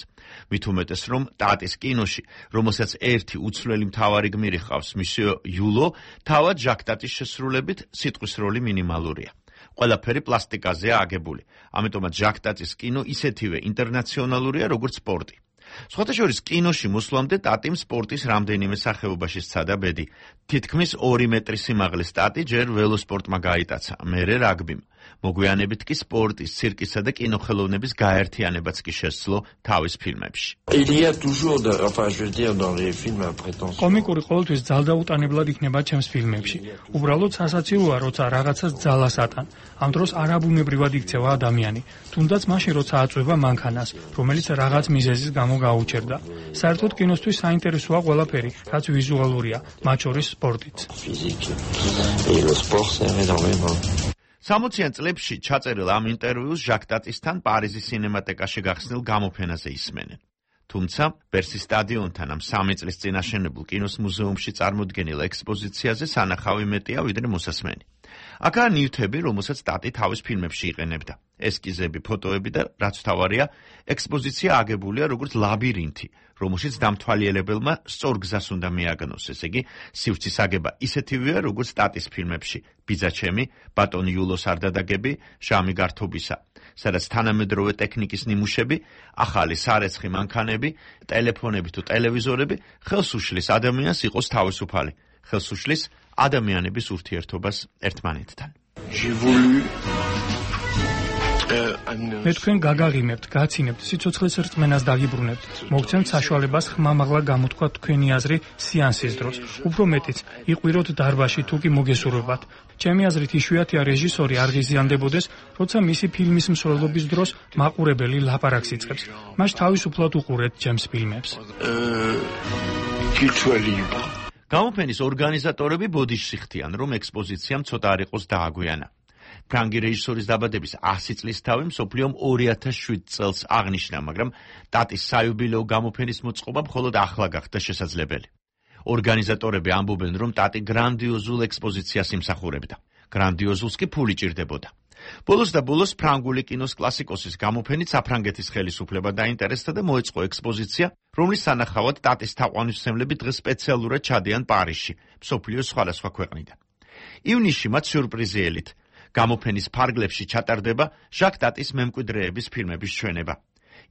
მით უმეტეს რომ ტატის კინოში, რომელსაც ერთი უცვლელი მთავარი გმირი ჰყავს, მისიო იულო, თავად ჟაკ ტატის შესრულებით სიტყვის როლი მინიმალურია. ყველაფერი პლასტიკაზეა აგებული. ამიტომაც ჟაკ ტატის კინო ისეთივე ინტერნაციონალურია, როგორც სპორტი. სხვათა შორის კინოში მოსვლამდე ტატიმ სპორტის რამდენიმე სახეობაში სცადა ბედი. თითქმის ორი მეტრი სიმაღლის ტატი ჯერ ველოსპორტმა გაიტაცა, მერე რაგბიმ. მოგვიანებით კი სპორტის, ცირკისა და კინოხელოვნების გაერთიანებაც კი შესძლო თავის ფილმებში. კომიკური ყოველთვის ძალდაუტანებლად იქნება ჩემს ფილმებში. უბრალოდ სასაცილოა, როცა რაღაცას ძალას ატან. ამ დროს არაბუნებრივად იქცევა ადამიანი, თუნდაც მაშინ, როცა აწვევა მანქანას, რომელიც რაღაც მიზეზის გამო გაუჩერდა. საერთოდ კინოსთვის საინტერესოა ყველაფერი, რაც ვიზუალურია, მათ შორის სპორტიც. სამოციან წლებში ჩაწერილ ამ ინტერვიუს ჟაკ ტატისთან პარიზის სინემატეკაში გახსნილ გამოფენაზე ისმენენ. თუმცა ბერსის სტადიონთან ამ სამი წლის წინ აშენებულ კინოს მუზეუმში წარმოდგენილ ექსპოზიციაზე სანახავი მეტია ვიდრე მოსასმენი. აქაა ნივთები, რომელსაც ტატი თავის ფილმებში იყენებდა. ესკიზები, ფოტოები და რაც თავარია, ექსპოზიცია აგებულია როგორც ლაბირინთი, რომელშიც დამთვალიერებელმა სწორ გზას უნდა მიაგნოს, ესე იგი, სივრცის აგება ისეთივეა, როგორც ტატის ფილმებში: ბიძაჩემი, ბატონი იულოს არდადაგები, ჟამი გართობისა, სადაც თანამედროვე ტექნიკის ნიმუშები, ახალი სარეცხი მანქანები, ტელეფონები თუ ტელევიზორები ხელს უშლის ადამიანს იყოს თავისუფალი, ხელს უშლის ადამიანების ურთიერთობას ერთმანეთთან. მე თქვენ გაგაღიმებთ, გაცინებთ, სიცოცხლის რწმენას დაგიბრუნებთ, მოგცემთ საშუალებას ხმამაღლა გამოთქვა თქვენი აზრი სეანსის დროს. უფრო მეტიც, იყვიროთ დარბაზში თუ კი მოგესურვებათ. ჩემი აზრით იშვიათია რეჟისორი არ ღიზიანდებოდეს, როცა მისი ფილმის მსვლელობის დროს მაყურებელი ლაპარაკს იწყებს. მას თავისუფლად უყურეთ ჩემს ფილმებს. გამოფენის ორგანიზატორები ბოდიშში ხდიან, რომ ექსპოზიციამ ცოტა არ იყოს დააგვიანა. ფრანგი რეჟისორის დაბადების ასი წლის თავი მსოფლიომ ორი ათას შვიდ წელს აღნიშნა, მაგრამ ტატის საიუბილეო გამოფენის მოწყობა მხოლოდ ახლა გახდა შესაძლებელი. ორგანიზატორები ამბობენ, რომ ტატი გრანდიოზულ ექსპოზიციას იმსახურებდა. გრანდიოზულს კი ფული ჭირდებოდა. ბოლოს და ბოლოს ფრანგული კინოს კლასიკოსის გამოფენით საფრანგეთის ხელისუფლება დაინტერესდა და მოეწყო ექსპოზიცია, რომლის სანახავად ტატის თაყვანისმცემლები დღეს სპეციალურად ჩადიან პარიზში, მსოფლიოს სხვადასხვა ქვეყნიდან. ივნისში მათ სიურპრიზი ელით. გამოფენის ფარგლებში ჩატარდება ჟაკ ტატის მემკვიდრეების ფილმების ჩვენება.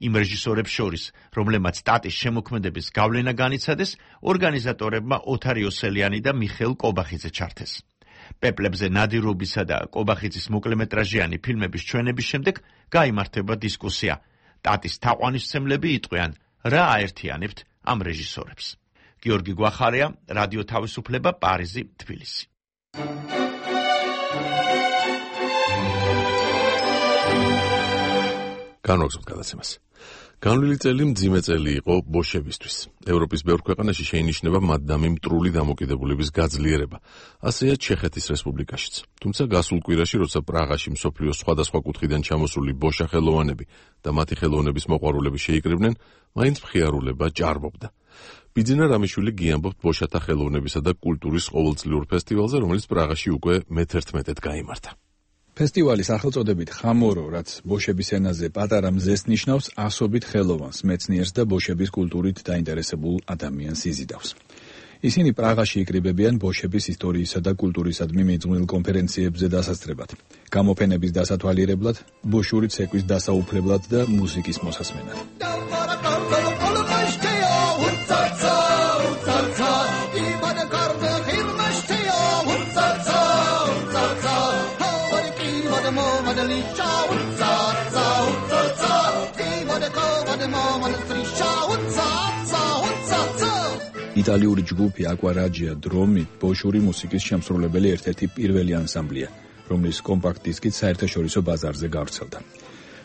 იმ რეჟისორებს შორის, რომლებმაც ტატის შემოქმედების გავლენა განიცადეს, ორგანიზატორებმა ოთარ იოსელიანი და მიხეილ კობახიძე ჩართეს. პეპლებზე ნადირობისა და კობახიძის მოკლემეტრაჟიანი ფილმების ჩვენების შემდეგ გაიმართება დისკუსია. ტატის თაყვანისმცემლები იტყვიან, რა აერთიანებთ ამ რეჟისორებს. გიორგი გვახარია, რადიო თავისუფლება, პარიზი, თბილისი. განვაგრძობთ გადაცემას. განვლილი წელი მძიმე წელი იყო ბოშებისთვის. ევროპის ბევრ ქვეყანაში შეინიშნება მადდამი მტრული დამოკიდებულების გაძლიერება. ასეა ჩეხეთის რესპუბლიკაშიც. თუმცა გასულ კვირაში, როცა პრაღაში მსოფლიოს სხვადასხვა კუთხიდან ჩამოსული ბოშა ხელოვანები და მათი ხელოვნების მოყვარულები შეიკრიბნენ, მაინც მხიარულება ჭარბობდა. ბიძინა რამიშვილი გიამბობთ ბოშათა ხელოვნებისა და კულტურის ყოველწლიურ ფესტივალზე, რომელიც პრაღაში უკვე მეთერთმეტედ გაიმართა. ფესტივალის სახელწოდებით ხამორო, რაც ბოშების ენაზე პატარა მზეს ნიშნავს, ასობით ხელოვანს, მეცნიერს და ბოშების კულტურით დაინტერესებულ ადამიანს იზიდავს. ისინი პრაღაში იკრიბებიან ბოშების ისტორიისა და კულტურისადმი მიძღვნილ კონფერენციებზე დასასწრებად, გამოფენების დასათვალიერებლად, ბოშური ცეკვის დასაუფლებლად და მუსიკის მოსასმენად. იტალიური ჯგუფი აკვარაჯია დრომი ბოშური მუსიკის შემსრულებელი ერთ-ერთი პირველი ანსამბლია, რომლის კომპაქტ დისკით საერთაშორისო ბაზარზე გავრცელდა.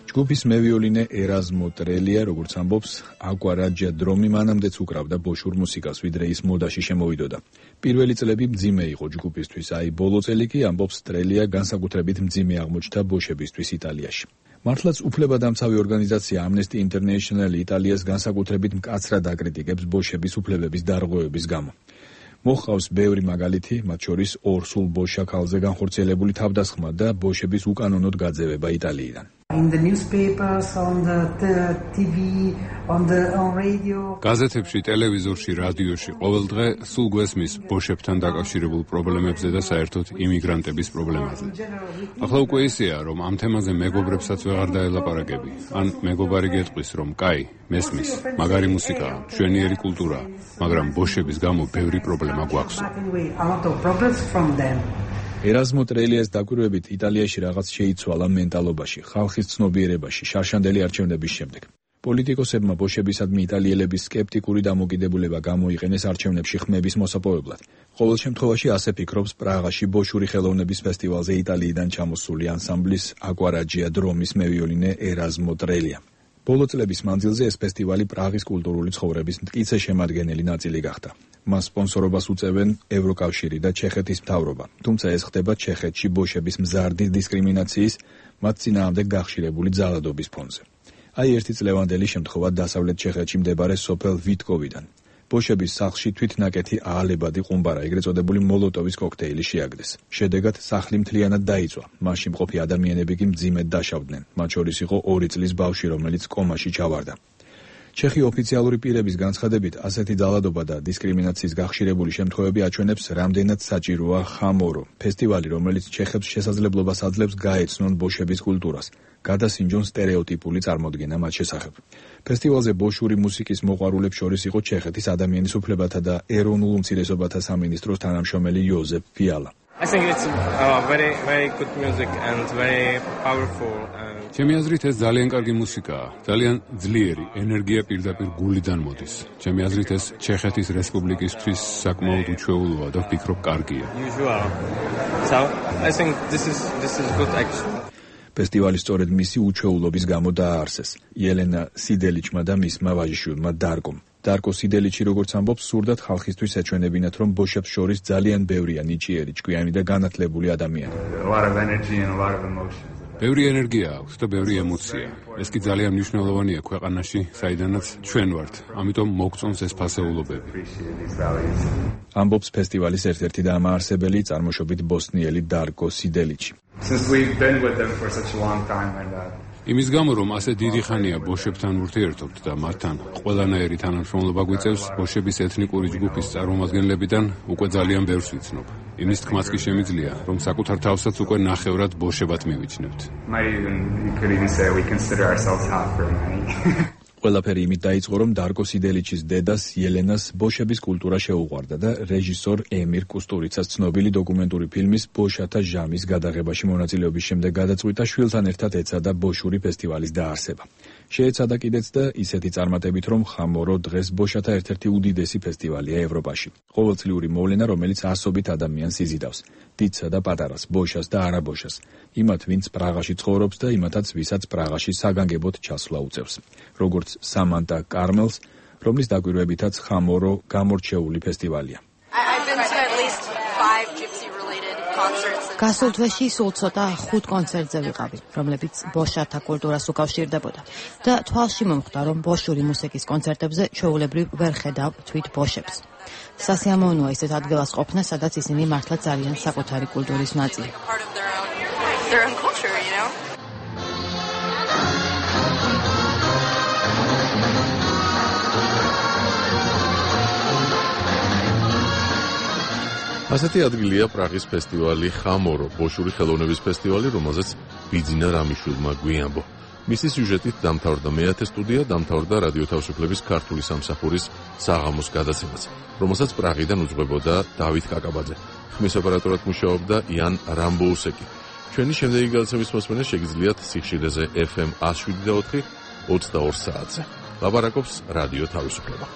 ჯგუფის მევიოლინე ერაზმო ტრელია, როგორც ამბობს, აკვარაჯია დრომი მანამდეც უკრავდა ბოშურ მუსიკას, ვიდრე ის მოდაში შემოვიდოდა. პირველი წლები მძიმე იყო ჯგუფისთვის, აი ბოლო წელი კი, ამბობს ტრელია, განსაკუთრებით მძიმე აღმოჩნდა ბოშებისთვის იტალიაში. მართლაც უფლებადამცავი ორგანიზაცია Amnesty International იტალიას განსაკუთრებით მკაცრად აკრიტიკებს ბოშების უფლებების დარღვევების გამო. მოჰყავს ბევრი მაგალითი, მათ შორის ორ სულ ბოშა ქალზე განხორციელებული თავდასხმა და ბოშების უკანონოდ გაძევება იტალიიდან. In the newspapers, on the, the T V, on the on radio. გაზეთებში, ტელევიზორში, რადიოში ყოველდღე სულ გვესმის ბოშებთან დაკავშირებულ პრობლემებზე და საერთოდ იმიგრანტების პრობლემაზე. ახლა უკვე ისეა, რომ ამ თემაზე მეგობრებსაც ვეღარ დაელაპარაკები. ან მეგობარი გეტყვის, რომ კაი, მესმის, მაგარი მუსიკაა, მშვენიერი კულტურაა, მაგრამ ბოშების გამო ბევრი პრობლემა გვაქვს. ერაზმო ტრელიას დაკვირვებით იტალიაში რაღაც შეიცვალა მენტალობაში, ხალხის ცნობიერებაში, შარშანდელი არჩევნების შემდეგ. პოლიტიკოსებმა ბოშებისადმი იტალიელების სკეპტიკური დამოკიდებულება გამოიყენეს არჩევნებში ხმების მოსაპოვებლად. ყოველ შემთხვევაში ასე ფიქრობს პრაღაში ბოშური ხელოვნების ფესტივალზე იტალიიდან ჩამოსული ანსამბლის აკვარაჯია დრომის მევიოლინე ერაზმო ტრელია. ბოლო წლების მანძილზე ეს ფესტივალი პრაღის კულტურული ცხოვრების მტკიცე შემადგენელი ნაწილი გახდა. მას სპონსორობას უწევენ ევროკავშირი და ჩეხეთის მთავრობა, თუმცა ეს ხდება ჩეხეთში ბოშების მზარდი დისკრიმინაციის, მათ წინააღმდეგ გახშირებული ძალადობის ფონზე. აი ერთი წლევანდელი შემთხვევა დასავლეთ ჩეხეთში მდებარე სოფელ ვიტკოვიდან. ბოშების სახლში თვითნაკეთი აალებადი ყუმბარა, ეგრეთ წოდებული მოლოტოვის კოქტეილი შეაგდეს. შედეგად სახლი მთლიანად დაიწვა. მასში მყოფი ადამიანები კი მძიმედ დაშავდნენ. მათ შორის იყო ორი წლის ბავშვი, რომელიც კომაში ჩავარდა. ჩეხი ოფიციალური პირების განცხადებით, ასეთი ძალადობა და დისკრიმინაციის გახშირებული შემთხვევები აჩვენებს, რამდენად საჭიროა ხამორო, ფესტივალი, რომელიც ჩეხებს შესაძლებლობას აძლევს გაეცნონ ბოშების კულტურას, გადასინჯონ სტერეოტიპული წარმოდგენა მათ შესახებ. ფესტივალზე ბოშური მუსიკის მოყვარულებს შორის იყო ჩეხეთის ადამიანის უფლებათა და ეროვნულ უმცირესობათა სამინისტროს თანამშრომელი იოზეფ ფიალა. I think it's uh, very very good music and very powerful. ჩემი აზრით ეს ძალიან კარგი მუსიკაა, ძალიან ძლიერი, ენერგია პირდაპირ გულიდან მოდის. ჩემი აზრით ეს ჩეხეთის რესპუბლიკისთვის საკმაოდ უჩვეულოა და ვფიქრობ კარგია. Usual. So I think this is this is good actually. ფესტივალი სწორედ მისი უჩვეულობის გამო დააარსეს. იელენა სიდელიჩმა და მისმა ვაჟიშვილმა დარკომ. დარკო სიდელიჩი, როგორც ამბობს, სურდათ ხალხისთვის ეჩვენებინათ, რომ ბოშებს შორის ძალიან ბევრია ნიჭიერი, ჭკვიანი და განათლებული ადამიანი. A lot of energy and a lot of emotion. ბევრი ენერგია აქვს და ბევრი ემოცია. ეს კი ძალიან მნიშვნელოვანია ქვეყანაში, საიდანაც ჩვენ ვართ. ამიტომ მოგწონს ეს ფასეულობები. ამბობს ფესტივალის ერთ-ერთი დამაარსებელი, წარმოშობით ბოსნიელი დარკო სიდელიჩი. Since we've been with them for such a long time and uh, იმის გამო, რომ ასე დიდი ხანია ბოშებთან ურთიერთობთ და მათთან ყველანაირი თანამშრომლობა გვიწევს, ბოშების ეთნიკური ჯგუფის წარმომადგენლებიდან უკვე ძალიან ბევრს ვიცნობ. იმის თქმაც კი შემიძლია, რომ საკუთარ თავსაც უკვე ნახევრად ბოშებად მივიჩნევთ. ყველაფერი იმით დაიწყო, რომ დარკო სიდელიჩის დედას ელენას ბოშების კულტურა შეუყვარდა და რეჟისორ ემირ კუსტურიცას ცნობილი დოკუმენტური ფილმის ბოშათა ჟამის გადაღებაში მონაწილეობის შემდეგ გადაწყვიტა შვილთან ერთად ეცადა ბოშური ფესტივალის დაარსება. შეეცადა კიდეც და ისეთი წარმატებით, რომ ხამორო დღეს ბოშათა ერთ-ერთი უდიდესი ფესტივალია ევროპაში. ყოველწლიური მოვლენა, რომელიც ასობით ადამიანს იზიდავს. დიდსა და პატარას, ბოშას და არაბოშას. იმათ, ვინც პრაღაში ცხოვრობს და იმათაც, ვისაც პრაღაში საგანგებოდ ჩასვლა უწევს. როგორც სამანტა კარმელს, რომლის დაკვირვებითაც ხამორო გამორჩეული ფესტივალია. გასულ თვეში სულ ცოტა ხუთ კონცერტზე ვიყავი, რომლებიც ბოშათა კულტურას უკავშირდებოდა და თვალში მომხვდა, რომ ბოშური მუსიკის კონცერტებზე ჩვეულებრივ ვერ ხედავ თვით ბოშებს. სასიამოვნოა ისეთ ადგილას ყოფნა, სადაც ისინი მართლაც არიან საკუთარი კულტურის ნაწილი. ასეთი ადგილია პრაღის ფესტივალი ხამორო, ბოშური ხელოვნების ფესტივალი, რომელზეც ბიძინა რამიშვილმა გვიანბო. მისი სიუჟეტით დამთავრდა მეათე სტუდია, დამთავრდა რადიო თავისუფლების ქართული სამსახურის საღამოს გადაცემაც, რომელსაც პრაღიდან უძღვებოდა დავით კაკაბაძე. ხმის ოპერატორად მუშაობდა იან რამბოუსეკი. ჩვენი შემდეგი გადაცემის მოსმენა შეგიძლიათ სიხშირეზე ეფ ემ one oh seven point four ოცდაორ საათზე. ლაპარაკობს რადიო თავისუფლება.